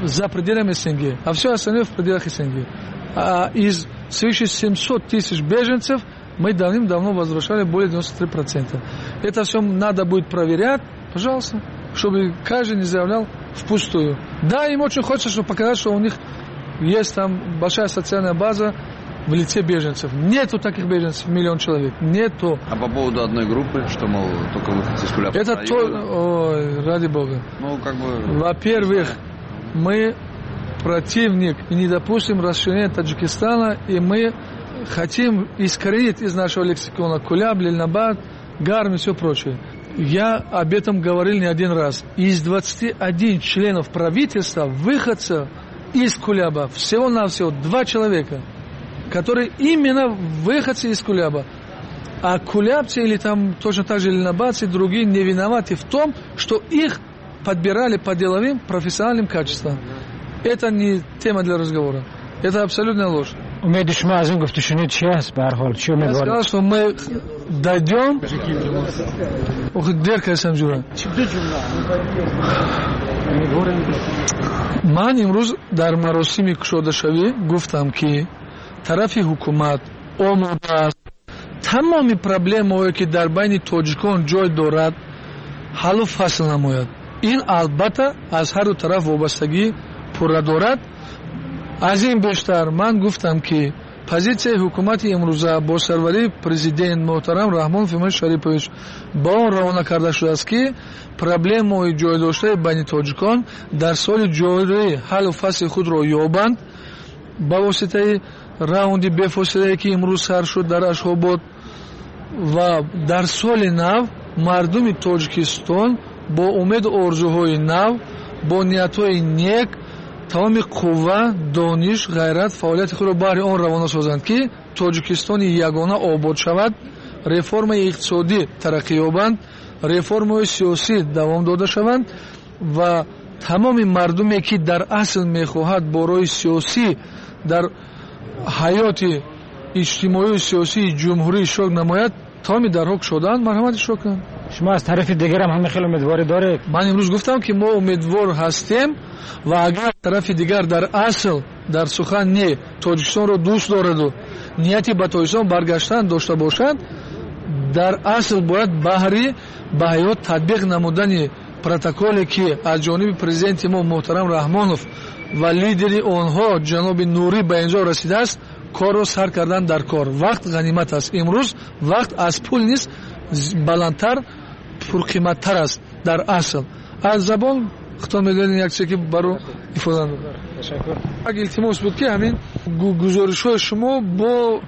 за пределами СНГ, а все остальное в пределах СНГ. А из свыше семисот тысяч беженцев мы давным-давно возвращали более девяноста трёх процентов. Это все надо будет проверять, пожалуйста, чтобы каждый не заявлял впустую. Да, им очень хочется, чтобы показать, что у них есть там большая социальная база в лице беженцев. Нету таких беженцев, миллион человек. Нету. А по поводу одной группы, что, мол, только выходцы из Куляба? Это то... Ой, ради бога. Ну, как бы... Во-первых, мы противник и не допустим расширения Таджикистана, и мы хотим искоренить из нашего лексикона Куляб, Ленинабад, Гарм и все прочее. Я об этом говорил не один раз. Из двадцати одного членов правительства, выходцев из Куляба, всего-навсего два человека, которые именно выходцы из Куляба. А кулябцы или там точно так же ленинабадцы и другие не виноваты в том, что их подбирали по деловым профессиональным качествам. Это не тема для разговора. Это абсолютная ложь. Я сказал, что мы дойдем. Ман имрӯз дар маросими кушодашавӣ гуфтам, ки тарафи ҳукумат омода аст тамоми проблемаҳое, ки дар байни тоҷикон ҷой дорад, ҳаллу фасл намояд. Ин албатта аз ҳар ду тараф вобастагӣ пурра дорад. Аз ин бештар ман гуфтам, ки позитсияи ҳукумати имрӯза бо сарварии президент муҳтарам Раҳмон Фимон Шарипович ба он равона карда шудааст, ки проблемаҳои ҷойдоштаи байни тоҷикон дар соли ҷорӣ ҳаллу фасли худро ёбанд ба воситаи раунди бефосилае, ки имрӯз сар шуд дар Ашхобод, ва дар соли нав мардуми Тоҷикистон бо умеду орзуҳои нав, бо ниятҳои нек тамоми қувва, дониш, ғайрат, фаъолияти худро баҳри он равона созанд, ки Тоҷикистони ягона обод шавад, реформаи иқтисодӣ тараққӣ ёбанд, реформаҳои сиёсӣ давом дода шаванд ва тамоми мардуме, ки дар асл мехоҳад бо роҳи сиёсӣ дар ҳаёти иҷтимоию сиёсии ҷумҳурӣ иштирок намояд, тамоми дарҳо кушодаанд, марҳамат иштирок кунанд. Шумо аз тарафи дигар ҳам ҳамин хел умедворӣ доред? Ман имрӯз гуфтам, ки мо умедвор ҳастем ва агар тарафи дигар дар асл дар сухан не Тоҷикистонро дӯст дораду нияти ба Тоҷикистон баргаштан дошта бошад, дар асл бояд баҳри ба ҳаёт татбиқ намудани протоколе, ки аз ҷониби президенти мо муҳтарам Раҳмонов ва лидери онҳо ҷаноби Нурӣ ба инҷо расидааст, корро сар кардан дар кор. Вақт ғанимат аст. Имрӯз вақт аз пул низ баландтар, пурқиматтар аст дар асл. Аз забон худтон медонед як чизе, ки баро ифода намуд. Як илтимос буд, ки ҳамин гузоришҳои шумо бо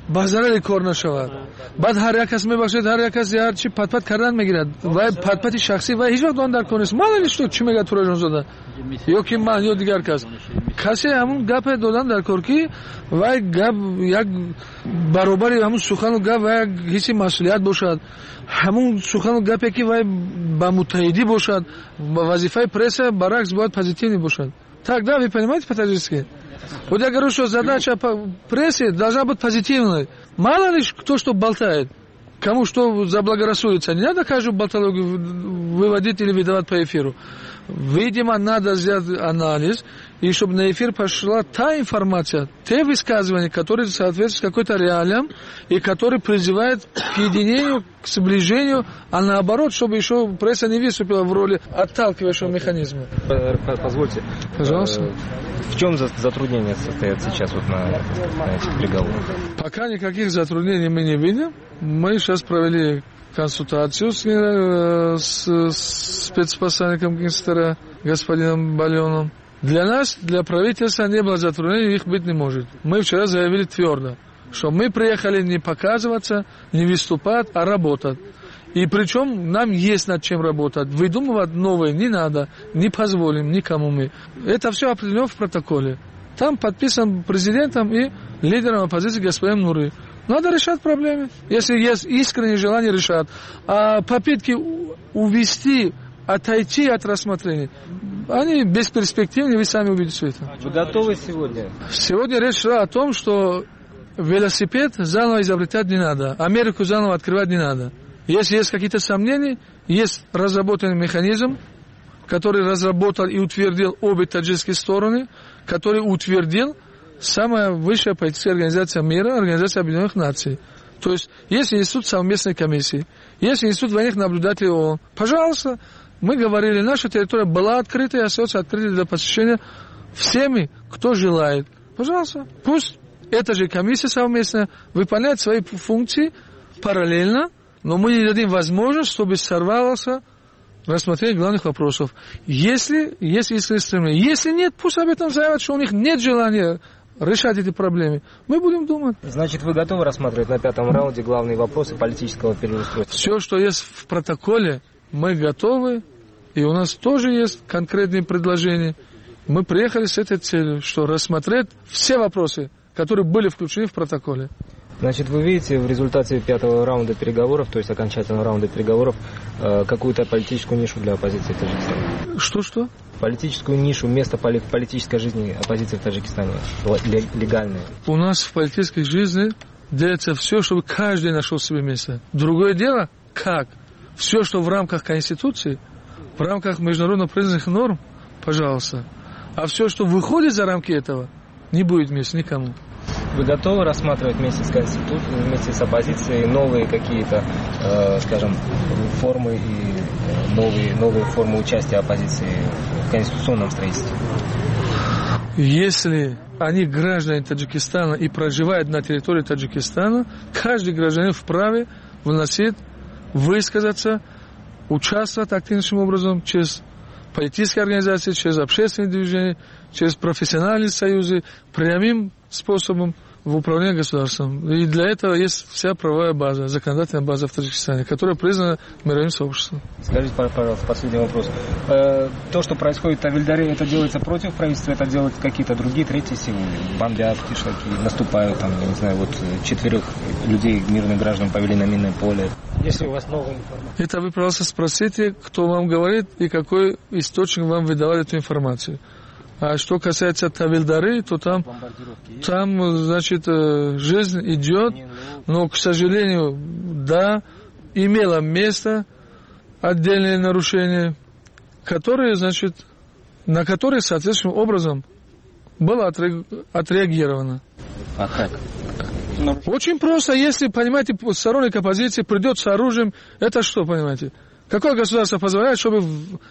ба зарари кор нашавад. Баъд ҳар як кас мебахшед, ҳар як кас ҳар чи патпат кардан мегирад. Вай патпати шахсӣ вай ҳеҷ вақт он дар кор нест. Ман что чӣ мегӯяд Тураҷонзода ё ки ман ё дигар кас. Касе ҳамун гапе додан дар кор, ки вай гап як баробари ҳамун сухану гап вай як ҳисси масъулият бошад, ҳамун сухану гапе, ки вай ба муттаҳидӣ бошад, вазифаи пресса баръакс бояд позитивный бошад. Так, да, вы понимаете по-таджикски? Вот я говорю, что задача прессы должна быть позитивной. Мало ли кто что болтает, кому что заблагорассудится. Не надо каждую болтологию выводить или выдавать по эфиру. Видимо, надо сделать анализ, и чтобы на эфир пошла та информация, те высказывания, которые соответствуют какой-то реалиям и которые призывают к единению, к сближению, а наоборот, чтобы еще пресса не выступила в роли отталкивающего механизма. Позвольте. Пожалуйста. В чем затруднения состоят сейчас вот на, на этих переговорах? Пока никаких затруднений мы не видим. Мы сейчас провели консультацию с, с, с спецпосланником Генстера господином Баленом. Для нас, для правительства не было затруднений, их быть не может. Мы вчера заявили твердо, что мы приехали не показываться, не выступать, а работать. И причем нам есть над чем работать. Выдумывать новое не надо, не позволим никому мы. Это все определено в протоколе. Там подписан президентом и лидером оппозиции господином Нури. Надо решать проблемы. Если есть искреннее желание решать. А попытки увести, отойти от рассмотрения, они бесперспективны, вы сами увидите все это. Вы готовы сегодня? Сегодня речь шла о том, что велосипед заново изобретать не надо, Америку заново открывать не надо. Если есть какие-то сомнения, есть разработанный механизм, который разработал и утвердил обе таджикские стороны, который утвердил самая высшая политическая организация мира, Организация Объединенных Наций. То есть, есть институт совместной комиссии, есть институт военных наблюдателей ООН. Пожалуйста, мы говорили, наша территория была открыта и остается открытой для посещения всеми, кто желает. Пожалуйста, пусть эта же комиссия совместная выполняет свои функции параллельно, но мы не дадим возможность, чтобы сорвалось рассмотрение главных вопросов. Если есть искреннее стремление. Если нет, пусть об этом заявят, что у них нет желания решать эти проблемы. Мы будем думать. Значит, вы готовы рассматривать на пятом раунде главные вопросы политического переустройства? Все, что есть в протоколе, мы готовы. И у нас тоже есть конкретные предложения. Мы приехали с этой целью, что рассмотреть все вопросы, которые были включены в протоколе. Значит, вы видите в результате пятого раунда переговоров, то есть окончательного раунда переговоров, какую-то политическую нишу для оппозиции в Таджикистане? Что-что? Политическую нишу, место в политической жизни оппозиции в Таджикистане, легальное. У нас в политической жизни делается все, чтобы каждый нашел себе место. Другое дело, как? Все, что в рамках Конституции, в рамках международно признанных норм, пожалуйста. А все, что выходит за рамки этого, не будет места никому. Вы готовы рассматривать вместе с Конституцией, вместе с оппозицией новые какие-то, э, скажем, формы и новые, новые формы участия оппозиции в конституционном строительстве? Если они граждане Таджикистана и проживают на территории Таджикистана, каждый гражданин вправе вносить, высказаться, участвовать активнейшим образом через политические организации, через общественные движения, через профессиональные союзы, прямым способом в управлении государством. И для этого есть вся правовая база, законодательная база в Таджикистане, которая признана мировым сообществом. Скажите, пожалуйста, последний вопрос. То, что происходит в Тавильдаре, это делается против правительства, это делают какие-то другие, третьи силы? Бомбят кишлаки, наступают, там, я не знаю, вот четверых людей, мирных граждан, повели на минное поле. Если у вас новая информация. Это вы, пожалуйста, спросите, кто вам говорит и какой источник вам выдавал эту информацию. А что касается Тавильдары, то там, там, значит, жизнь идет, но, к сожалению, да, имело место отдельные нарушения, которые, значит, на которые соответствующим образом было отреагировано. А как? Очень просто, если, понимаете, сторонник оппозиции придет с оружием, это что, понимаете? Какое государство позволяет, чтобы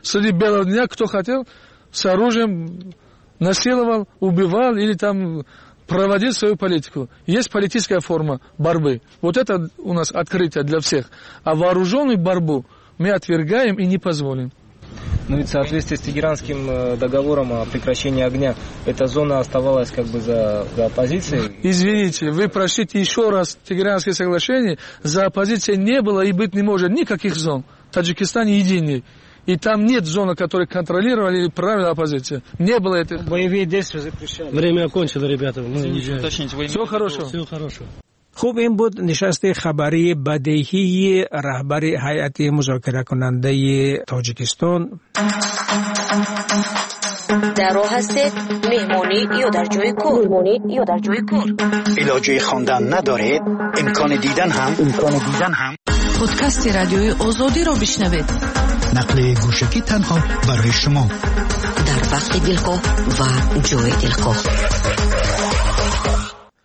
среди белого дня кто хотел с оружием насиловал, убивал или там проводил свою политику? Есть политическая форма борьбы. Вот это у нас открытие для всех. А вооруженную борьбу мы отвергаем и не позволим. Ну ведь в соответствии с Тегеранским договором о прекращении огня, эта зона оставалась как бы за, за оппозицией. Извините, вы прочтите еще раз Тегеранское соглашение. За оппозицией не было и быть не может никаких зон. Таджикистан единый. И там нет зоны, которые контролировали или правила оппозиции. Не было этой. Боевые действия запрещали. Время окончено, ребята. Мы уезжаем. Всего хорошего. Всего хорошего. خب این بود نشست خبری بدیهی رهبر هیئت مذاکره کننده تاجیکستان. در راه هستید، مهمانی یا در جای کار، مهمانی یا در جای کار. علاجه خواندن ندارید، امکان دیدن هم امکان دیدن هم. پادکست رادیوی آزادی را بشنوید. نقل گوشکی تنها برای شما در وقت دلخواه و جای دلخواه.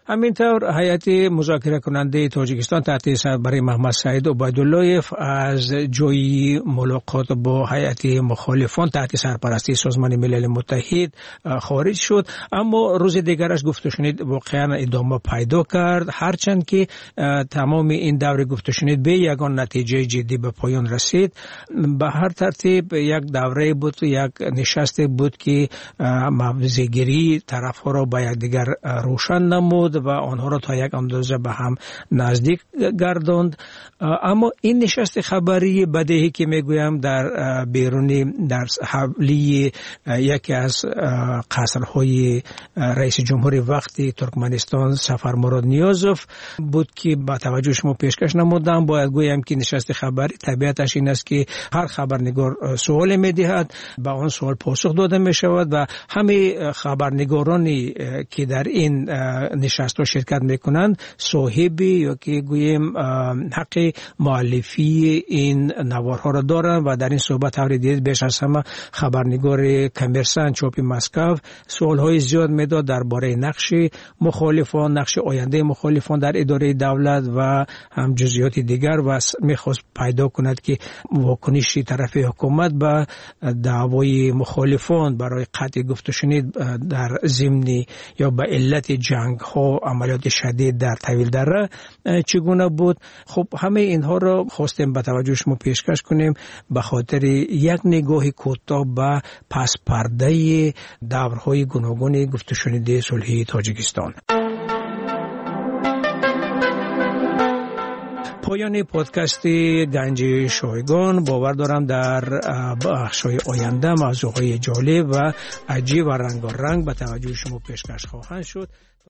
همینطور هیئت مذاکره کننده تاجیکستان تحت سربری محمد سعید عبیدالله‌اف از جای ملاقات با هیئت مخالفان تحت سرپرستی سازمان ملل متحد خارج شد، اما روز دیگرش گفت و شنید واقعا ادامه پیدا کرد، هرچند که تمام این دور گفت و شنید به یگان نتیجه جدی به پایان رسید. به هر ترتیب یک دوره بود، یک نشست بود که موضع‌گیری طرف‌ها را با یکدیگر روشن نمود ва онҳоро то як андоза ба ҳам наздик гардонд. Аммо ин нишасти хабарии бадеҳӣ ки мегӯям дар берунӣ дар ҳавлии яке аз қасрҳои раиси ҷумҳури вақти Туркманистон Сафармурод Ниёзов буд ки ба таваҷҷӯҳи шумо пешкаш намудам. Бояд гӯям ки нишасти хабарӣ табиаташ ин аст ки ҳар хабарнигор суоле медиҳад, ба он суол посух дода мешавад ва ҳамаи хабарнигороне ки дар ин нишастҳо ширкат мекунанд соҳиби ё ки гӯем ҳаққи муаллифии ин наворҳоро доранд ва дар ин суҳбат тавре дидед беш аз ҳама хабарнигори Коммерсант чопи Москва суолҳои зиёд медод дар бораи нақши мухолифон, нақши ояндаи мухолифон дар идораи давлат ва ҳам ҷузъиёти дигар ва мехост пайдо кунад ки вокуниши тарафи ҳукумат ба даъвои мухолифон барои қатъи гуфтушунид дар зимни ё ба иллати ҷангҳо, амалиёти шадид дар Тавилдара чӣ гуна буд. Хуб, ҳамаи инҳоро хостем ба таваҷҷӯҳи шумо пешкаш кунем ба хотири як нигоҳи кӯтоҳ ба паспардаи даврҳои гуногуни гуфтушуниди сулҳии Тоҷикистон. Поёни подкасти Ганҷи Шойгон. Бовар дорам дар бахшҳои оянда мавзӯъҳои ҷолиб ва аҷиб ва рангоранг ба таваҷҷӯҳи шумо пешкаш хоҳанд шуд.